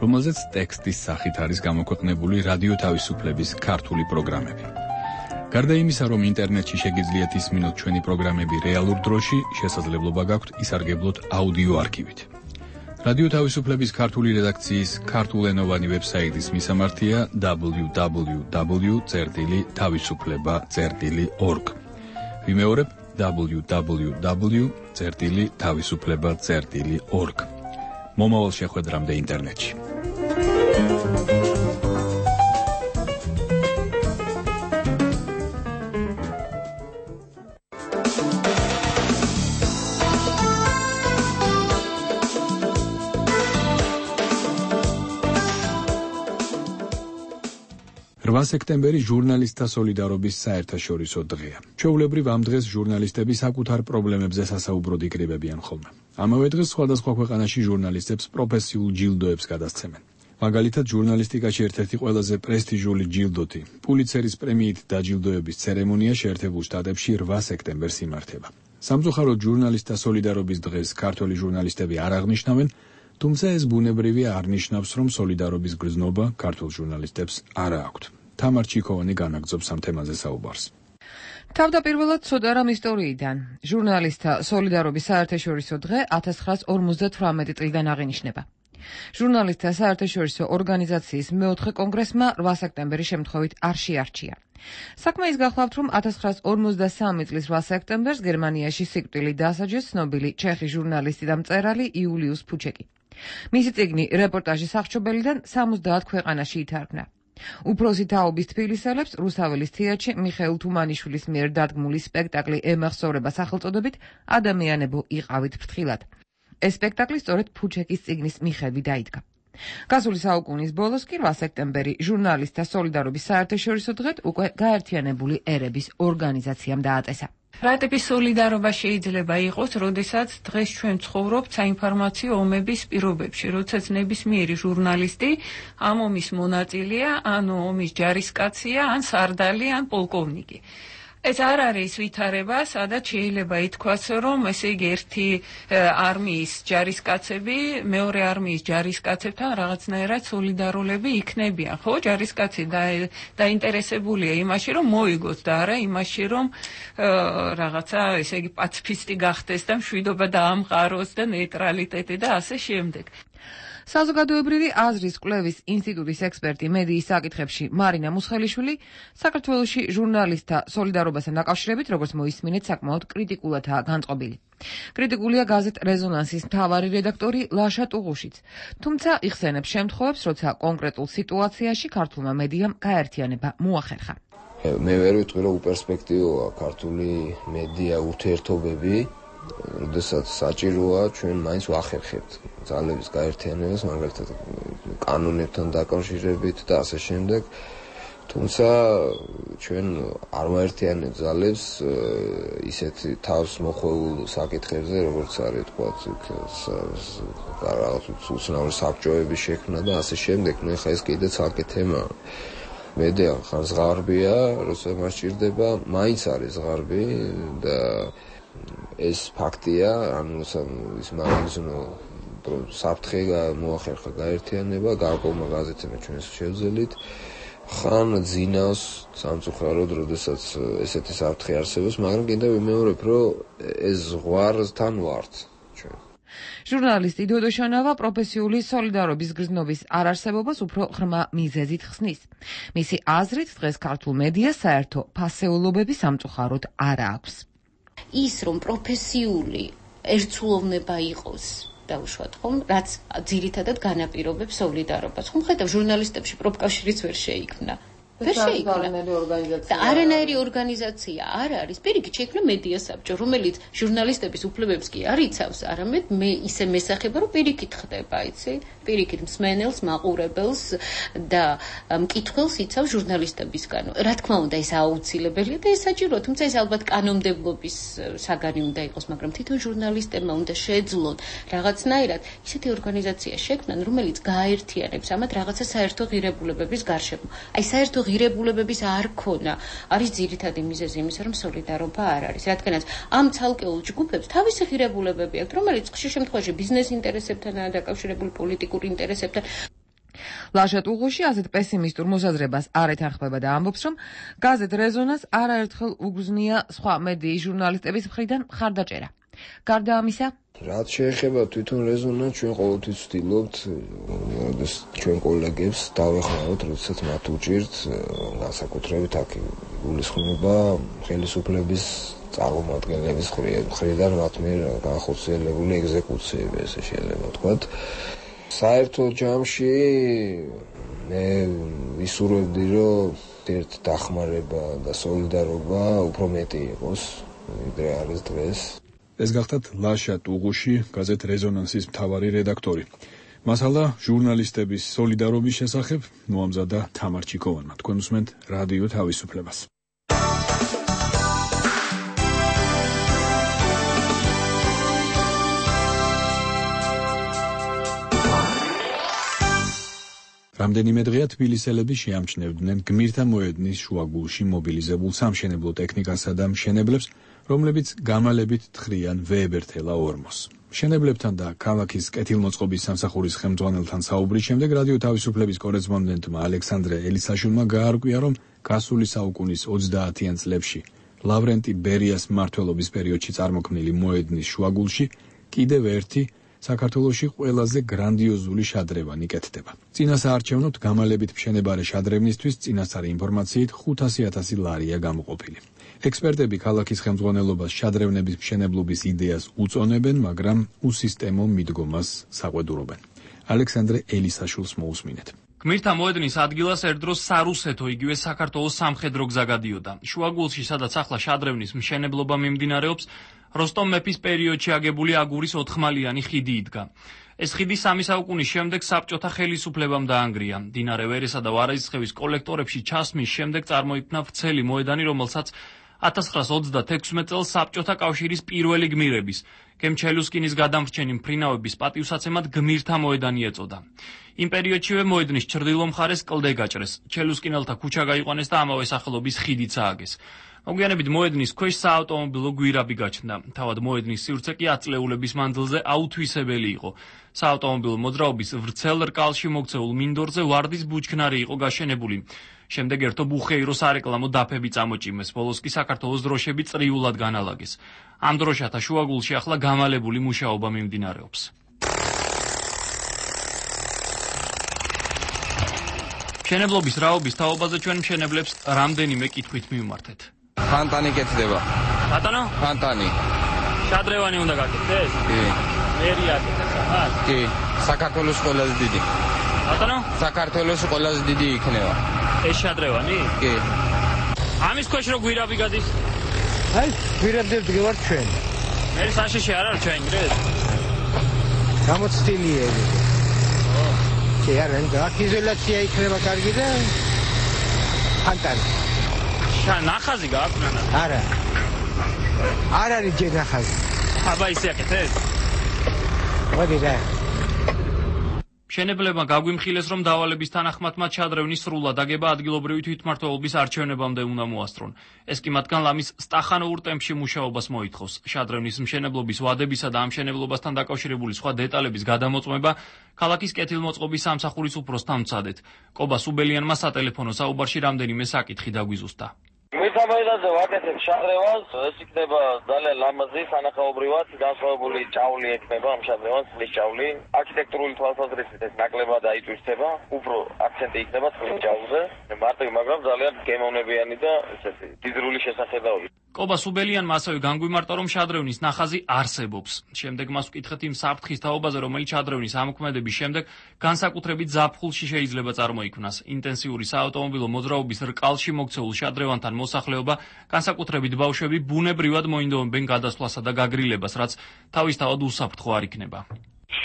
რომელზეც ტექსტის სახით არის გამოქვეყნებული რადიო თავისუფლების ქართული პროგრამები. გარდა იმისა, რომ ინტერნეტში შეგიძლიათ ისმინოთ ჩვენი პროგრამები რეალურ დროში, შესაძლებლობა გაქვთ ისარგებლოთ აუდიო არქივით. რადიო თავისუფლების ქართული რედაქციის ქართულენოვანი ვებსაიტის მისამართია www.tavisufleba.org. ვიმეორებ www.tavisufleba.org. მომავალ შეხვედრამდე ინტერნეტში. 8 სექტემბერი ჟურნალისტთა სოლიდარობის საერთაშორისო დღეა. ჩვეულებრივ ამ დღეს ჟურნალისტები საკუთარ პრობლემებზე სასაუბროდ იკრიბებიან ხოლმე. ამავე დღეს სხვადასხვა ქვეყანაში ჟურნალისტებს პროფესიულ ჯილდოებს გადასცემენ. მაგალითად, ჟურნალისტიკაში ერთ-ერთი ყველაზე პრესტიჟული ჯილდოთი, პულიცერის პრემიით დაჯილდოების ცერემონია შეერთებულ შტატებში 8 სექტემბერს იმართება. სამწუხაროდ ჟურნალისტთა სოლიდარობის დღეს ქართველი ჟურნალისტები არ აღნიშნავენ, თუმცა ეს ბუნებრივია არ ნიშნავს, რომ სოლიდარობის გრძნობა ქართულ ჟურნალისტებს არ აქვთ. თამარ ჩიქოვანი განაგრძობს ამ თემაზე საუბარს. თავდაპირველად ცოტა რამ ისტორიიდან. ჟურნალისტთა სოლიდარობის საერთაშორისო დღე 1958 წლიდან აღინიშნება. ჟურნალისტთა საერთაშორისო ორგანიზაციის მეოთხე კონგრესმა 8 სექტემბერი შემთხვევით არ შეარჩია. საქმე ის გახლავთ, რომ 1953 წლის 8 სექტემბერს გერმანიაში სიკვდილით დასაჯეს ცნობილი ჩეხი ჟურნალისტი და მწერალი იულიუს ფუჩეკი. მისი წიგნი რეპორტაჟის აღჭობელიდან 70 ქვეყანაში ითარგმნა. უფროსი თაობის თბილისელებს რუსაველის თეატრში მიხეილ თუმანიშვილის მიერ დადგმული სპექტაკლი ემახსოვრება სახელწოდებით ადამიანებო იყავით ფრთხილად. ეს სპექტაკლი სწორედ ფუჩეკის წიგნის მიხედვით დაიდგა. გასული საუკუნის ბოლოს კი 8 სექტემბერი ჟურნალისტთა სოლიდარობის საერთაშორისო დღედ უკვე გაერთიანებული ერების ორგანიზაციამ დააწესა. რა ტიპის სოლიდარობა შეიძლება იყოს, როდესაც დღეს ჩვენ ცხოვრობთ საინფორმაციო ომების პირობებში, როდესაც ნებისმიერი ჟურნალისტი ამ ომის მონაწილეა, ან ომის ჯარისკაცია, ან სარდალი, ან პოლკოვნიკი. ეს არ არის ვითარება, სადაც შეიძლება ითქვას, რომ ესე იგი ერთი არმიის ჯარისკაცები მეორე არმიის ჯარისკაცებთან რაღაცნაირად სოლიდარულები იქნებიან. ხო, ჯარისკაცი დაინტერესებულია იმაში, რომ მოიგოს და არა იმაში, რომ რაღაცა ესე იგი პაციფისტი გახდეს და მშვიდობა დაამყაროს და ნეიტრალიტეტი და ასე შემდეგ. საზოგადოებრივი აზრის კვლევის ინსტიტუტის ექსპერტი მედიის საკითხებში მარინა მუსხელიშვილი საქართველოში ჟურნალისტთა სოლიდარობასთან დაკავშირებით, როგორც მოისმინეთ, საკმაოდ კრიტიკულადაა განწყობილი. კრიტიკულია გაზეთ რეზონანსის მთავარი რედაქტორი ლაშა ტუღუშიც, თუმცა იხსენებს შემთხვევებს, როცა კონკრეტულ სიტუაციაში ქართულმა მედიამ გაერთიანება მოახერხა. მე ვერ ვიტყვი, რომ უპერსპექტივოა ქართული მედია ურთიერთობები, როდესაც საჭიროა ჩვენ მაინც ვახერხებთ ძალების გაერთიანებას, მაგალითად კანონებთან დაკავშირებით და ასე შემდეგ. თუმცა ჩვენ არ ვაერთიანებთ ძალებს ისეთი თავს მოხვეულ საკითხებზე, როგორც არის თქვათ რაღაც უცნაური საბჭოების შექმნა და ასე შემდეგ. ნუ ხა ეს კიდე ცალკე თემაა. მედია ხარ ზღარბია, როცა მას ჭირდება, მაინც არის ზღარბი და ეს ფაქტია, ანუ ის მაგიზნო საფრთხე მოახერხა გაერთიანება, გარკვეულმა გაზეთებმა ჩვენ შევძელით. ხან ძინავს სამწუხაროდ, როდესაც ესეთი საფრთხე არსებობს, მაგრამ კიდევ ვიმეორებ, რომ ეს ზღვართან ვართ ჩვენ. ჟურნალისტი დოდო შანავა პროფესიული სოლიდარობის გრძნობის არარსებობას უფრო ღრმა მიზეზით ხსნის. მისი აზრით, დღეს ქართულ მედიას საერთო ფასეულობები სამწუხაროდ არ აქვს. ის რომ პროფესიული ერთსულოვნება იყოს დაუშვათ ხომ, რაც ძირითადად განაპირობებს სოლიდარობას. ხომ ხედავ ჟურნალისტებში პროფკავშირიც ვერ შეიქმნა. ვერ შეიქმნა. და არანაირი ორგანიზაცია არ არის. პირიქით შეიქმნა მედია საბჭო, რომელიც ჟურნალისტების უფლებებს კი არ იცავს, არამედ მე ისე მესახება, რომ პირიქით ხდება, იცი? პირიქით მსმენელს, მაყურებელს და მკითხველს იცავს ჟურნალისტებისგან. რა თქმა უნდა, ეს აუცილებელია და ეს საჭიროა, თუმცა ეს ალბათ კანონმდებლობის საგანი უნდა იყოს, მაგრამ თვითონ ჟურნალისტებმა უნდა შეძლონ რაღაცნაირად ისეთი ორგანიზაცია შექმნან, რომელიც გააერთიანებს ამათ რაღაცა საერთო ღირებულებების გარშემო. აი საერთო ღირებულებების არ ქონა არის ძირითადი მიზეზი იმისა, რომ სოლიდარობა არ არის. რადგანაც ამ ცალკეულ ჯგუფებს თავისი ღირებულებები აქვთ, რომელიც ხშირ შემთხვევაში ბიზნეს ინტერესებთანაა დაკავშირებული, პოლიტიკურ ინტერესებთან. ლაშა ტუღუში ასეთ პესიმისტურ მოსაზრებას არ ეთანხმება და ამბობს, რომ გაზეთ რეზონანს არაერთხელ უგზნია სხვა მედიის ჟურნალისტების მხრიდან მხარდაჭერა. გარდა ამისა, რაც შეეხება თვითონ რეზონანსს, ჩვენ ყოველთვის ვცდილობთ, ჩვენ კოლეგებს დავეხმაროთ, როდესაც მათ უჭირთ, განსაკუთრებით აქ გულისხმობა ხელისუფლების წარმომადგენლების მხრიდან მათ მიერ განხორციელებული ეგზეკუციები, ესე შეიძლება ვთქვათ. საერთო ჯამში მე ვისურვებდი, რომ ერთ დახმარება და სოლიდარობა უფრო მეტი იყოს, ვიდრე არის დღეს. ეს გახლავთ ლაშა ტუღუში, გაზეთ რეზონანსის მთავარი რედაქტორი. მასალა ჟურნალისტების სოლიდარობის შესახებ მოამზადა თამარ ჩიკოვანმა. თქვენ უსმენთ რადიო თავისუფლებას. რამდენიმე დღეა თბილისელები შეამჩნევდნენ გმირთა მოედნის შუაგულში მობილიზებულ სამშენებლო ტექნიკასა და მშენებლებს, რომლებიც გამალებით თხრიან ვეებერთელა ორმოს. მშენებლებთან და ქალაქის კეთილმოწყობის სამსახურის ხელმძღვანელთან საუბრის შემდეგ რადიო თავისუფლების კორესპონდენტმა ალექსანდრე ელისაშვილმა გაარკვია, რომ გასული საუკუნის 30-იან წლებში ლავრენტი ბერიას მმართველობის პერიოდში წარმოქმნილი მოედნის შუაგულში კიდევ ერთი საქართველოში ყველაზე გრანდიოზული შადრევანი კეთდება. წინასაარჩევნოდ გამალებით მშენებარე შადრევნისთვის წინასწარი ინფორმაციით 500,000 ლარია გამოყოფილი. ექსპერტები ქალაქის ხელმძღვანელობას შადრევნების მშენებლობის იდეას უწონებენ, მაგრამ უსისტემო მიდგომას საყვედურობენ. ალექსანდრე ელისაშვილს მოусმინეთ. გმირთა მოედნის ადგილას ერთდროს სარუსეთო, იგივე საქართველოს სამხედრო გზა გადიოდა. შუაგულში, სადაც ახლა შადრევნის მშენებლობა მიმდინარეობს, როსტომ მეფის პერიოდში აგებული აგურის 4ხმალიანი ხიდი იდგა. ეს ხიდი 3 საუკუნის შემდეგ საბჭოთა ხელისუფლებამ დაანგრია. მდინარე ვერესა და ვარაისხევის კოლექტორებში ჩასმის შემდეგ წარმოიქმნა ვრცელი მოედანი, რომელსაც 1936 წელს საბჭოთა კავშირის პირველი გმირების, გემ-ჩელუსკინის გადამრჩენი მფრინავების პატივსაცემად გმირთა მოედანი ეწოდა. იმ პერიოდშივე მოედნის ჩრდილო მხარეს კლდე გაჭრეს, ჩელუსკინელთა ქუჩა გაიყვანეს და ამავე სახელობის ხიდიც ააგეს. მოგვიანებით მოედნის ქვეშ საავტომობილო გვირაბი გაჩნდა. თავად მოედნის სივრცე კი ათწლეულების მანძილზე აუთვისებელი იყო. საავტომობილო მოძრაობის ვრცელ რკალში მოქცეულ მინდორზე ვარდის ბუჩქნარი იყო გაშენებული. შემდეგ ერთო ბუხეირო სარეკლამო დაფები წამოჭიმეს, ბოლოს კი საქართველოს დროშები წრიულად განალაგეს. ამ დროშათა შუაგულში ახლა გამალებული მუშაობა მიმდინარეობს. მშენებლობის რაობის თაობაზე ჩვენ მშენებლებს რამდენიმე კითხვით მივმართეთ. ფანტანი კეთდება. ბატონო? ფანტანი. შადრევანი უნდა გაკეთდეს? კი. მერი აკეთებს ახლა? კი. საქართველოს ყველაზე დიდი. ბატონო? საქართველოს ყველაზე დიდი იქნება. ეს შადრევანი? კი. ამის ქვეშ რო გვირაბი გადის? აი, გვირაბები ვარ ჩვენ. მერი საშიში არ არის ჩვენ გრეთ? გამოცდილია. კი, არა, აქ იზოლაცია იქნება კარგი და ფანტანი. ნახაზი გააქვს? არა. არ არის ჯერ ნახაზი. აბა ისე აკეთეს? მოდი რა. მშენებლებმა გაგვიმხილეს, რომ დავალების თანახმად მათ შადრევნის სრულად აგება ადგილობრივი თვითმმართველობის არჩევნებამდე უნდა მოასწრონ. ეს კი მათგან ლამის სტახანოურ ტემპში მუშაობას მოითხოვს. შადრევნის მშენებლობის ვადებისა და ამ მშენებლობასთან დაკავშირებული სხვა დეტალების გადამოწმება ქალაქის კეთილმოწყობის სამსახურის უფროსთან ვცადეთ. კობა სუბელიანმა სატელეფონო საუბარში რამდენიმე საკითხი დაგვიზუსტა. გმირთა მოედანზე ვაკეთებ შადრევანს, ეს იქნება ძალიან ლამაზი, სანახაობრივად განსხვავებული ჭავლი ექნება ამ შადრევანს, წყლის ჭავლი. არქიტექტურული თვალსაზრისით ეს ნაკლებად აიწვისება, უფრო აქცენტი იქნება წყლის ჭავლზე. მარტივი, მაგრამ ძალიან გემოვნებიანი და ესეთი დიდრული შესახედაობი. კობა სუბელიანმა ასევე განგვიმარტა, რომ შადრევნის ნახაზი არსებობს. შემდეგ მას ვკითხეთ იმ საფრთხის თაობაზე, რომელიც შადრევნის ამოქმედების შემდეგ განსაკუთრებით ზაფხულში შეიძლება წარმოიქმნას. ინტენსიური საავტომობილო მოძრაობის რკალში მოქცეულ შადრევანთან მოსახლეობა, განსაკუთრებით ბავშვები, ბუნებრივად მოინდომებენ გადასვლასა და გაგრილებას, რაც თავისთავად უსაფრთხო არ იქნება.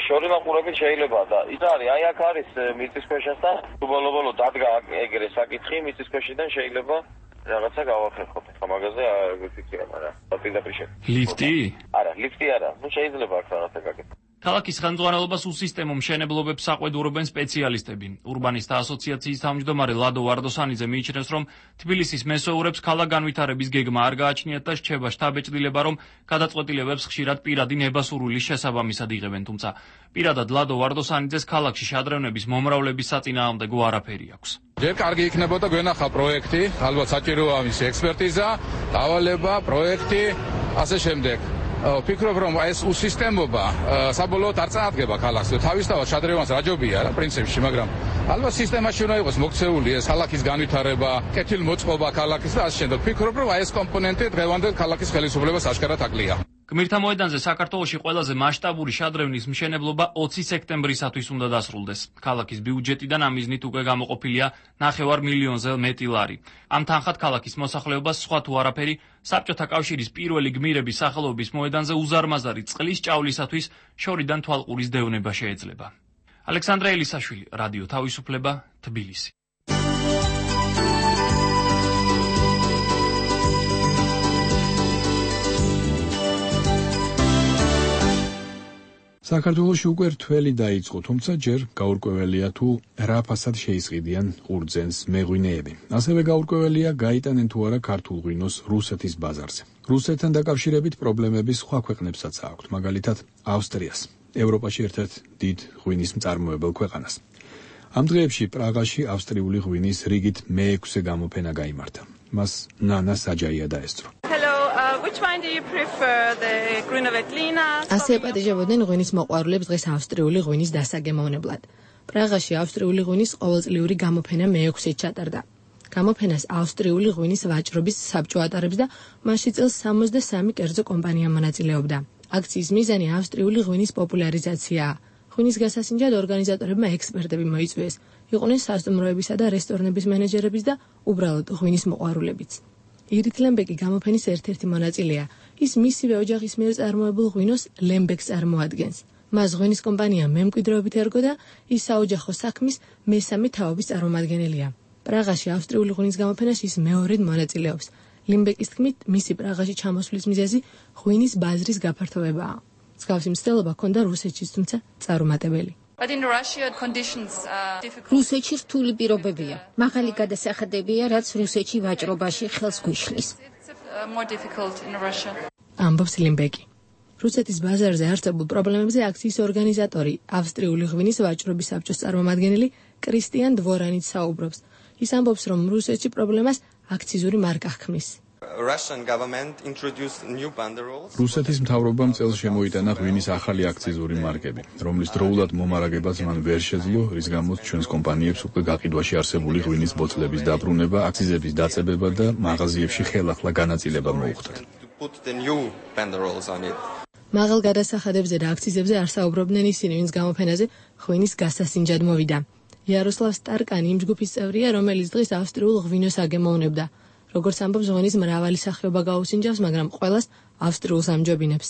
შორი მაყურებით შეიძლება და ის არის, აი აქ არის მიწისქვეშასთან, ბოლო-ბოლო დადგა ეგრე საკითხი, მიწისქვეშიდან შეიძლება რაღაცა გავახერხოთ. მაგაზე არ ვიცია, მაგრამ პირდაპირ შე. ლიფტი? არა, ლიფტი არა. ნუ შეიძლება აქ რაღაცა გაკეთო. ქალაქის ხელმძღვანელობას უსისტემო მშენებლობებს საყვედურობენ სპეციალისტები. ურბანისტთა ასოციაციის თავმჯდომარე ლადო ვარდოსანიძე მიიჩნევს, რომ თბილისის მესოურებს ქალაქგანვითარების გეგმა არ გააჩნიათ და რჩება შთაბეჭდილება, რომ გადაწყვეტილებებს ხშირად პირადი ნებასურვილის შესაბამისად იღებენ, თუმცა პირადად ლადო ვარდოსანიძეს ქალაქში შადრევნების მომრავლების საწინააღმდეგო არაფერი აქვს. ჯერ კარგი იქნებოდა გვენახა პროექტი, ალბათ საჭიროა მისი ექსპერტიზა, დავალება, პროექტი, ასე შემდეგ. ვფიქრობ, რომ ეს უსისტემობა საბოლოოდ არ წაადგება ქალაქს. თავისთავად შადრევანს რაჯობია რა პრინციპში, მაგრამ ალბათ სისტემაში უნდა იყოს მოქცეული ეს ქალაქის განვითარება, კეთილმოწყობა ქალაქის და ასე შემდეგ. ვფიქრობ, რომ ეს კომპონენტი დღევანდელ ქალაქის ხელისუფლებას ашკარად აკლია. გმირთა მოედანზე საქართველოში ყველაზე მასშტაბური შადრევნის მშენებლობა 20 სექტემბრისათვის უნდა დასრულდეს. ქალაქის ბიუჯეტიდან ამ მიზნით უკვე გამოყოფილია 9 მილიონზე მეტი ლარი. ამ თანხად ქალაქის მოსახლეობას სხვა თუ არაფერი საბჭოთა კავშირის პირველი გმირების სახელობის მოედანზე უზარმაზარი წყლის ჭავლისათვის შორიდან თვალყურის დევნება შეეძლება. ალექსანდრე ელისაშვილი, რადიო თავისუფლება, თბილისი. საქართველოში უკვე რთველი დაიწყო, თუმცა ჯერ გაურკვეველია თუ რა ფასად შეისყიდიან ყურძენს მეღვინეები. ასევე გაურკვეველია გაიტანენ თუ არა ქართულ ღვინოს რუსეთის ბაზარზე. რუსეთთან დაკავშირებით პრობლემები სხვა ქვეყნებსაც აქვთ, მაგალითად ავსტრიას, ევროპაში ერთ-ერთ დიდ ღვინის მწარმოებელ ქვეყანას. ამ დღეებში პრაღაში ავსტრიული ღვინის რიგით მე-6 გამოფენა გაიმართა. მას ნანა საჯაია დაესწრო. Which one do you prefer, the Gruno Veltlina? ასე აპატიჟებოდნენ ღვინის მოყვარულებს დღეს ავსტრიული ღვინის დასაგემოვნებლად. პრაღაში ავსტრიული ღვინის ყოველწლიური გამოფენა მე-6-ით ჩატარდა. გამოფენას ავსტრიული ღვინის ვაჭრობის საბჭო ატარებს და მასში წელს 63 კერძო კომპანია მონაწილეობდა. აქციის მიზანი ავსტრიული ღვინის პოპულარიზაციაა. ღვინის გასასინჯად ორგანიზატორებმა ექსპერტები მოიწვიეს, იყვნენ სასტუმროებისა და რესტორნების მენეჯერების და უბრალოდ ღვინის მოყვარულებიც. ირით ლემბეკი გამოფენის ერთ-ერთი მონაწილეა. ის მისივე ოჯახის მიერ წარმოებულ ღვინოს ლემბეკს წარმოადგენს. მას ღვინის კომპანია მემკვიდრეობით ერგო და ის საოჯახო საქმის მესამე თაობის წარმომადგენელია. პრაღაში ავსტრიული ღვინის გამოფენაში ის მეორედ მონაწილეობს. ლემბეკის თქმით, მისი პრაღაში ჩამოსვლის მიზეზი ღვინის ბაზრის გაფართოვებაა. მსგავსი მცდელობა ჰქონდა რუსეთშიც, თუმცა წარუმატებელი. რუსეთში რთული პირობებია. მაღალი გადასახადებია, რაც რუსეთში ვაჭრობაში ხელს გვიშლის. ამბობს ლიმბეკი. რუსეთის ბაზარზე არსებულ პრობლემებზე აქციის ორგანიზატორი, ავსტრიული ღვინის ვაჭრობის საბჭოს წარმომადგენელი კრისტიან დვორანიც საუბრობს. ის ამბობს, რომ რუსეთში პრობლემას აქციზური მარკა ჰქმნის. რუსეთის მთავრობამ წელს შემოიტანა ღვინის ახალი აქციზური მარკები, რომლის დროულად მომარაგებაც მან ვერ შეძლო, რის გამოც ჩვენს კომპანიებს უკვე გაყიდვაში არსებული ღვინის ბოთლების დაბრუნება, აქციზების დაწებება და მაღაზიებში ხელახლა განაწილება მოუხდათ. მაღალ გადასახადებზე და აქციზებზე არ საუბრობდნენ ისინი, ვინც გამოფენაზე ღვინის გასასინჯად მოვიდა. იაროსლავ სტარკანი იმ ჯგუფის წევრია, რომელიც დღეს ავსტრიულ ღვინოს აგემოვნებდა. როგორც ამბობს, ღვინის მრავალი სახეობა გაუსინჯავს, მაგრამ ყველას ავსტრიულს ამჯობინებს.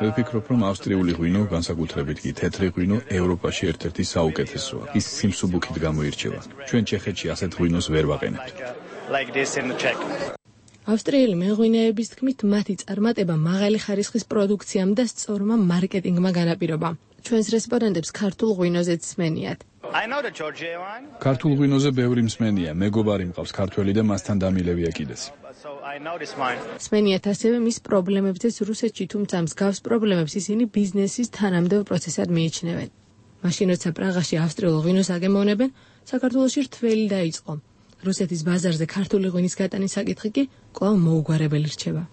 მე ვფიქრობ, რომ ავსტრიული ღვინო, განსაკუთრებით კი თეთრი ღვინო, ევროპაში ერთ-ერთი საუკეთესოა. ის სიმსუბუქით გამოირჩევა. ჩვენ ჩეხეთში ასეთ ღვინოს ვერ ვაყენებთ. ავსტრიელი მეღვინეების თქმით, მათი წარმატება მაღალი ხარისხის პროდუქციამ და სწორმა მარკეტინგმა განაპირობა. ჩვენს რესპონდენტებს ქართულ ღვინოზეც სმენიათ. ქართულ ღვინოზე ბევრი მსმენია, მეგობარი მყავს ქართველი და მასთან დამილევია კიდეც. სმენიათ ასევე მის პრობლემებზეც რუსეთში, თუმცა მსგავს პრობლემებს ისინი ბიზნესის თანამდებობ პროცესად მიიჩნევენ. მაშინ როცა პრაღაში ავსტრიულ ღვინოს აგემოვნებენ, საქართველოში რთველი დაიწყო. რუსეთის ბაზარზე ქართული ღვინის გატანის საკითხი კი კვლავ მოუგვარებელი რჩება.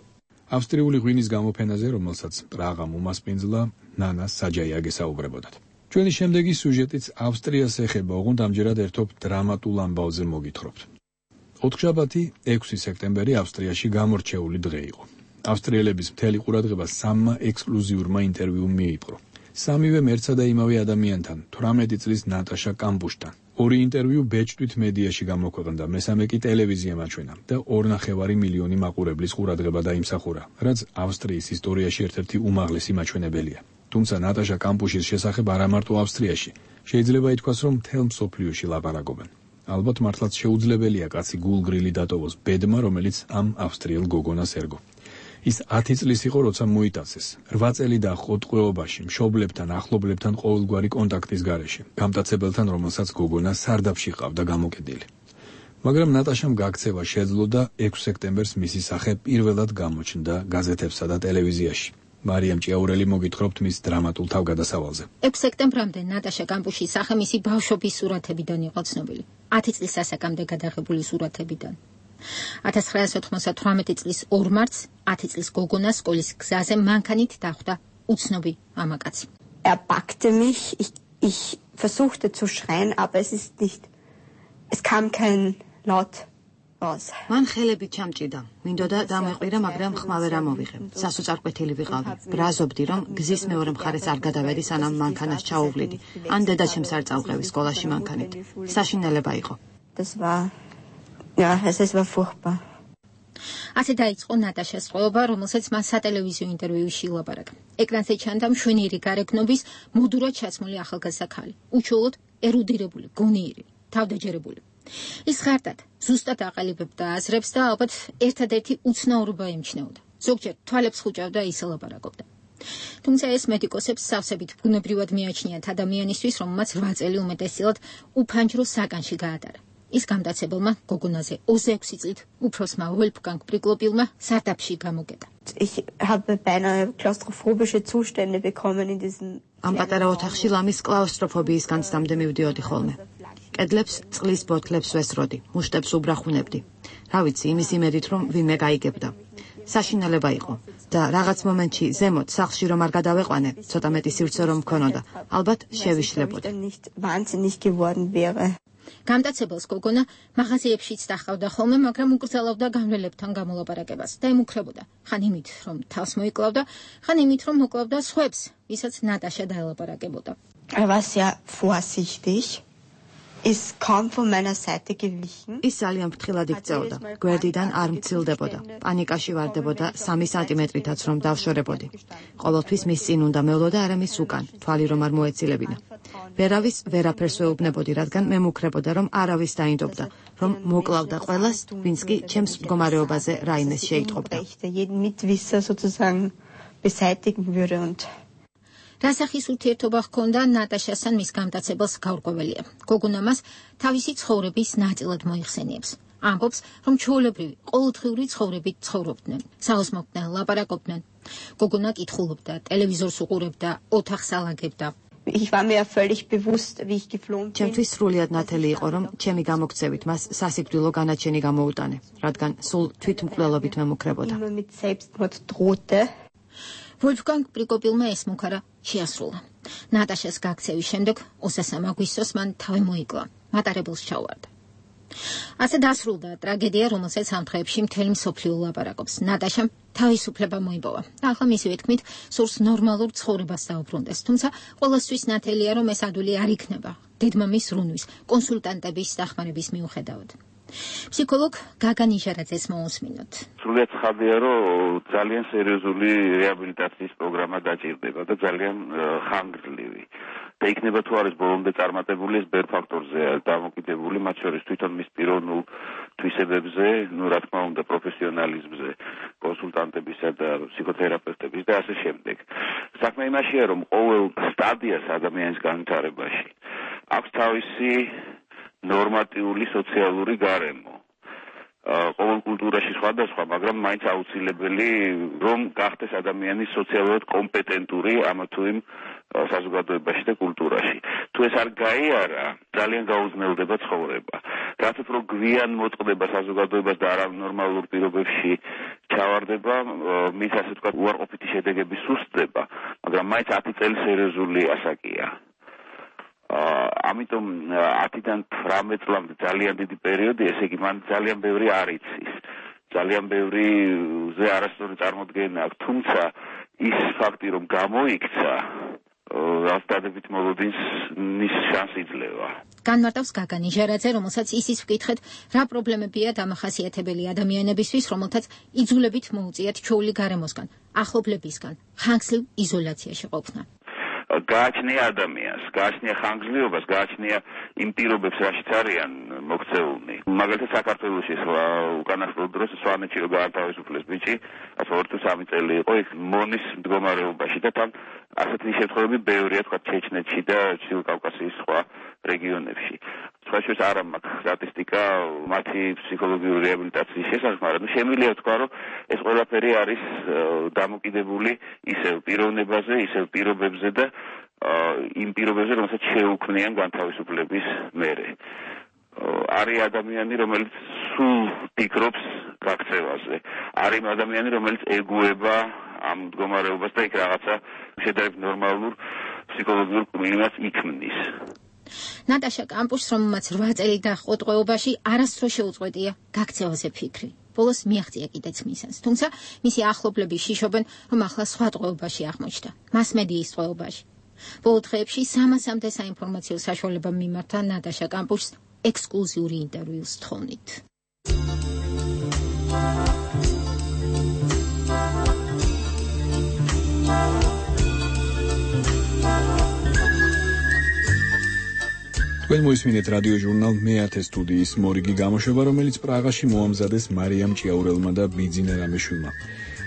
ავსტრიული ღვინის გამოფენაზე, რომელსაც პრაღამ უმასპინძლა, ნანა საჯაია გესაუბრებოდათ. ჩვენი შემდეგი სიუჟეტიც ავსტრიას ეხება, ოღონდ ამჯერად ერთობ დრამატულ ამბავზე მოგითხრობთ. 4-შაბათი, 6 სექტემბერი ავსტრიაში გამორჩეული დღე იყო. ავსტრიელების მთელი ყურადღება 3 ექსკლუზიურმა ინტერვიუმ მიიპყრო. სამივე მერცსა და იმავე ადამიანთან, 18 წლის ნატაშა კამპუშთან. 2 ინტერვიუ ბეჭდვით მედიაში გამოქვეყნდა, მესამე კი ტელევიზიამ აჩვენა და 2,5 მილიონი მაყურებლის ყურადღება დაიმსახურა, რაც ავსტრიის ისტორიაში ერთ-ერთი უმაღლესი მაჩვენებელია. თუმცა ნატაშა კამპუშის შესახებ არა მარტო ავსტრიაში, შეიძლება ითქვას, რომ მთელ მსოფლიოში ლაპარაკობენ. ალბათ მართლაც შეუძლებელია კაცი გულგრილი დატოვოს ბედმა, რომელიც ამ ავსტრიელ გოგონას ერგო. ის 10 წლის იყო, როცა მოიტაცეს. 8 წელი დაჰყო ტყვეობაში, მშობლებთან, ახლობლებთან ყოველგვარი კონტაქტის გარეშე, გამტაცებელთან, რომელსაც გოგონა სარდაფში ყავდა გამოკიდილი. მაგრამ ნატაშამ გაქცევა შეძლო და 6 სექტემბერს მისი სახე პირველად გამოჩნდა გაზეთებსა და ტელევიზიაში. მარიამ ჭიაურელი მოგითხრობთ მის დრამატულ თავგადასავალზე. 6 სექტემბრამდე ნატაშა კამპუშის სახე მისი ბავშვობის სურათებიდან იყო ცნობილი. 10 წლის ასაკამდე გადაღებული სურათებიდან. 1998 წლის 2 მარტს 10 წლის გოგონას სკოლის გზაზე მანქანით დახვდა უცნობი მამაკაცი. Packte mich, ich versuchte zu schreien, aber es kam kein Laut raus. მან ხელები ჩამჭიდა. მინდოდა დამეყვირა, მაგრამ ხმა ვერ ამოვიღე. სასოწარკვეთილი ვიყავი. ბრაზობდი, რომ გზის მეორე მხარეს არ გადავედი, სანამ მანქანას ჩაუვლიდი. ან დედაჩემს არ წავყევი სკოლაში მანქანით. საშინელება იყო. Das war Ja, es war furchtbar. ასე დაიწყო ნატაშას წყობა, რომელსაც მას სატელევიზიო ინტერვიუში ილაპარაკა. ეკრანზე ჩანდა მშვენიერი გარეგნობის მოდურად ჩაცმული ახალგაზრდა ქალი, უჩვეულოდ ერუდირებული, გონიერი, თავდაჯერებული. ის ხარტად ზუსტად აყალიბებდა აზრებს და ალბათ ერთადერთი უცნაურობა ემჩნეოდა. ზოგჯერ თვალებს ხუჭავდა ისე ლაპარაკობდა. თუმცა ეს მედიკოსებს სავსებით ბუნებრივად მიაჩნიათ ადამიანისთვის, რომელმაც 8 წელი უმეტესწილად უფანჯრო საგანში გაატარა. ის გამტაცებელმა გოგონაზე 26 წლით უფროსმა ვოლფგანგ პრიკლოპილმა სარდაფში გამოგეტა. Ich habe beinahe klaustrophobische Zustände bekommen in diesen ამ პატარა ოთახში ლამის კლაუსტროფობიის განცდამდე მივდიოდი ხოლმე. კედლებს წყლის ბოთლებს ვესროდი, მუშტებს უბრახუნებდი. რა ვიცი, იმის იმედით, რომ ვინმე გაიგებდა. საშინელება იყო და რაღაც მომენტში ზემოთ სახლში რომ არ გადავეყვანე, ცოტა მეტი სივრცე რომ მქონოდა, ალბათ შევიშლებოდი. გამტაცებელს გოგონა მაღაზიებშიც დახავდა ხოლმე, მაგრამ უკრძალავდა განვლელებთან გამოლაპარაკებას და ემუქრებოდა. ხან იმით, რომ თავს მოიკლავდა, ხან იმით, რომ მოკლავდა სხვებს, ვისაც ნატაშა დაელაპარაკებოდა. war sehr vorsichtig. Ist kaum von meiner Seite gewichen. ის ძალიან ფრთხილად იქცეოდა. გვერდიდან არ მცილდებოდა. პანიკაში ვარდებოდა 3 სანტიმეტრითაც რომ დავშორებოდი. ყოველთვის მის წინ უნდა მევლო და არა მის უკან, თვალი რომ არ მოეცილებინა. ვერავის ვერაფერს ვეუბნებოდი, რადგან მე მუქრებოდა, რომ არავის დაინდობდა, რომ მოკლავდა ყველას, ვინც კი ჩემს მდგომარეობაზე რაიმეს შეიტყობდა. Jeden Mitwisser sozusagen beseitigen würde und რასახის ურთიერთობა ჰქონდა ნატაშასთან მის გამტაცებელს გაურკვეველია. გოგონა მას თავისი ცხოვრების ნაწილად მოიხსენიებს. ამბობს, რომ ჩვეულებრივი, ყოველდღიური ცხოვრებით ცხოვრობდნენ, საოცმოდნენ, ლაპარაკობდნენ. გოგონა კითხულობდა, ტელევიზორს უყურებდა, ოთახს ალაგებდა. Ich war mir völlig bewusst, wie ich geflohen bin. ჩემთვის სრულიად ნათელი იყო, რომ ჩემი გამოქცევით მას სასიკვდილო განაჩენი გამოუტანე, რადგან სულ თვითმკვლელობით მემუქრებოდა. Mit Selbstmord drohte. ვოლფგანგ პრიკოპილმა ეს მუქარა შეასრულა. ნატაშას გაქცევის შემდეგ 23 აგვისტოს მან თავი მოიკლა, მატარებელს ჩაუვარდა. ასე დასრულდა ტრაგედია, რომელსაც ამ დღეებში მთელი მსოფლიო ლაპარაკობს. ნატაშამ თავისუფლება მოიპოვა. ახლა მისივე თქმით, სურს ნორმალურ ცხოვრებას დაუბრუნდეს, თუმცა ყველასთვის ნათელია, რომ ეს ადვილი არ იქნება დედმამის რუნვის, კონსულტანტების დახმარების მიუხედავად. ფსიქოლოგ გაგა ნიჟარაძეს მოусმინოთ. სრულიად ცხადია, რომ ძალიან სერიოზული რეაბილიტაციის პროგრამა დაჭირდება და ძალიან ხანგრძლივი. და იქნება თუ არის ბოლომდე წარმატებული, ეს ბევრ ფაქტორზეა დამოკიდებული, მათ შორის თვითონ მის პიროვნულ თვისებებზე, რა თქმა უნდა, პროფესიონალიზმზე, კონსულტანტებისა და ფსიქოთერაპევტების და ასე შემდეგ. საქმე იმაშია, რომ ყოველ სტადიას ადამიანის განვითარებაში აქვს თავისი ნორმატიული სოციალური გარემო. ყოველ კულტურაში სხვადასხვა, მაგრამ მაინც აუცილებელი, რომ გახდეს ადამიანი სოციალურად კომპეტენტური ამ თუ იმ საზოგადოებაში და კულტურაში. თუ ეს არ გაიარა, ძალიან გაუძნელდება ცხოვრება. რაც უფრო გვიან მოწყდება საზოგადოებას და არანორმალურ პირობებში ჩავარდება, მის ასე ვთქვათ, უარყოფითი შედეგები სუსტდება, მაგრამ მაინც 10 წელი სერიოზული ასაკია. ამიტომ 10-დან 18 წლამდე ძალიან დიდი პერიოდი, ესე იგი მან ძალიან ბევრი არ იცის. ძალიან ბევრი ზე არასწორი წარმოდგენა აქვს, თუმცა ის ფაქტი, რომ გამოიქცა, რაც დადებით მოლოდინის შანსი იძლევა. განმარტავს გაგა ნიჟარაძე, რომელსაც ისიც ვკითხეთ, რა პრობლემებია დამახასიათებელი ადამიანებისთვის, რომელთაც იძულებით მოუწიათ ჩვეული გარემოსგან, ახლობლებისგან, ხანგრძლივ იზოლაციაში ყოფნა. გააჩნია ადამიანს, გააჩნია ხანგრძლივობას, გააჩნია იმ პირობებს, რაშიც არიან მოქცეულნი. მაგალითად საქართველოში უკანასკნელ დროს სვანეთში რო გაათავისუფლეს ბიჭი, 2-3 წელი იყო იქ მონის მდგომარეობაში და თან ასეთი შემთხვევები ბევრია, თქვა ჩეჩნეთში და ჩრდილო კავკასიის სხვა რეგიონებში. სხვაშორის არ მაქვს სტატისტიკა მათი ფსიქოლოგიური რეაბილიტაციის შესახებ, მაგრამ შემიძლია თქვა, რომ ეს ყველაფერი არის დამოკიდებული ისევ პიროვნებაზე, ისევ პირობებზე და იმ პირობებზე, რომელსაც შეუქმნიან განთავისუფლების მერე. არის ადამიანი, რომელიც სულ ფიქრობს გაქცევაზე. არის ადამიანი, რომელიც ეგუება ამ მდგომარეობას და იქ რაღაცა შედარებით ნორმალურ ფსიქოლოგიურ კვირას იქმნის. ნატაშა კამპუსს, რომელმაც 8 წელი დაჰყო ტყვეობაში, არასდროს შეუწყვეტია გაქცევაზე ფიქრი. ბოლოს მიაღწია კიდეც მისანს, თუმცა მისი ახლობლები შიშობენ, რომ ახლა სხვა ტყვეობაში აღმოჩნდა, მასმედიის ტყვეობაში. ბოლო დღეებში 300-მდე საინფორმაციო საშუალებამ მიმართა ნატაშა კამპუსს ექსკლუზიური ინტერვიუს თხოვნით. თქვენ მოისმინეთ რადიო ჟურნალ მე-10 სტუდიის მორიგი გამოშვება, რომელიც პრაღაში მოამზადეს მარიამ ჭიაურელმა და ბიძინა რამიშვილმა.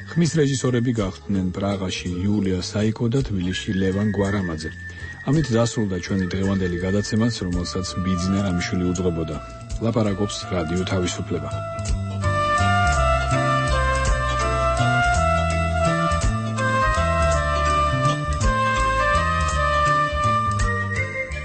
ხმის რეჟისორები გახდნენ პრაღაში იულია საიკო და თბილისში ლევან გვარამაძე. ამით დასრულდა ჩვენი დღევანდელი გადაცემაც, რომელსაც ბიძინა რამიშვილი უძღვებოდა. ლაპარაკობს რადიო თავისუფლება.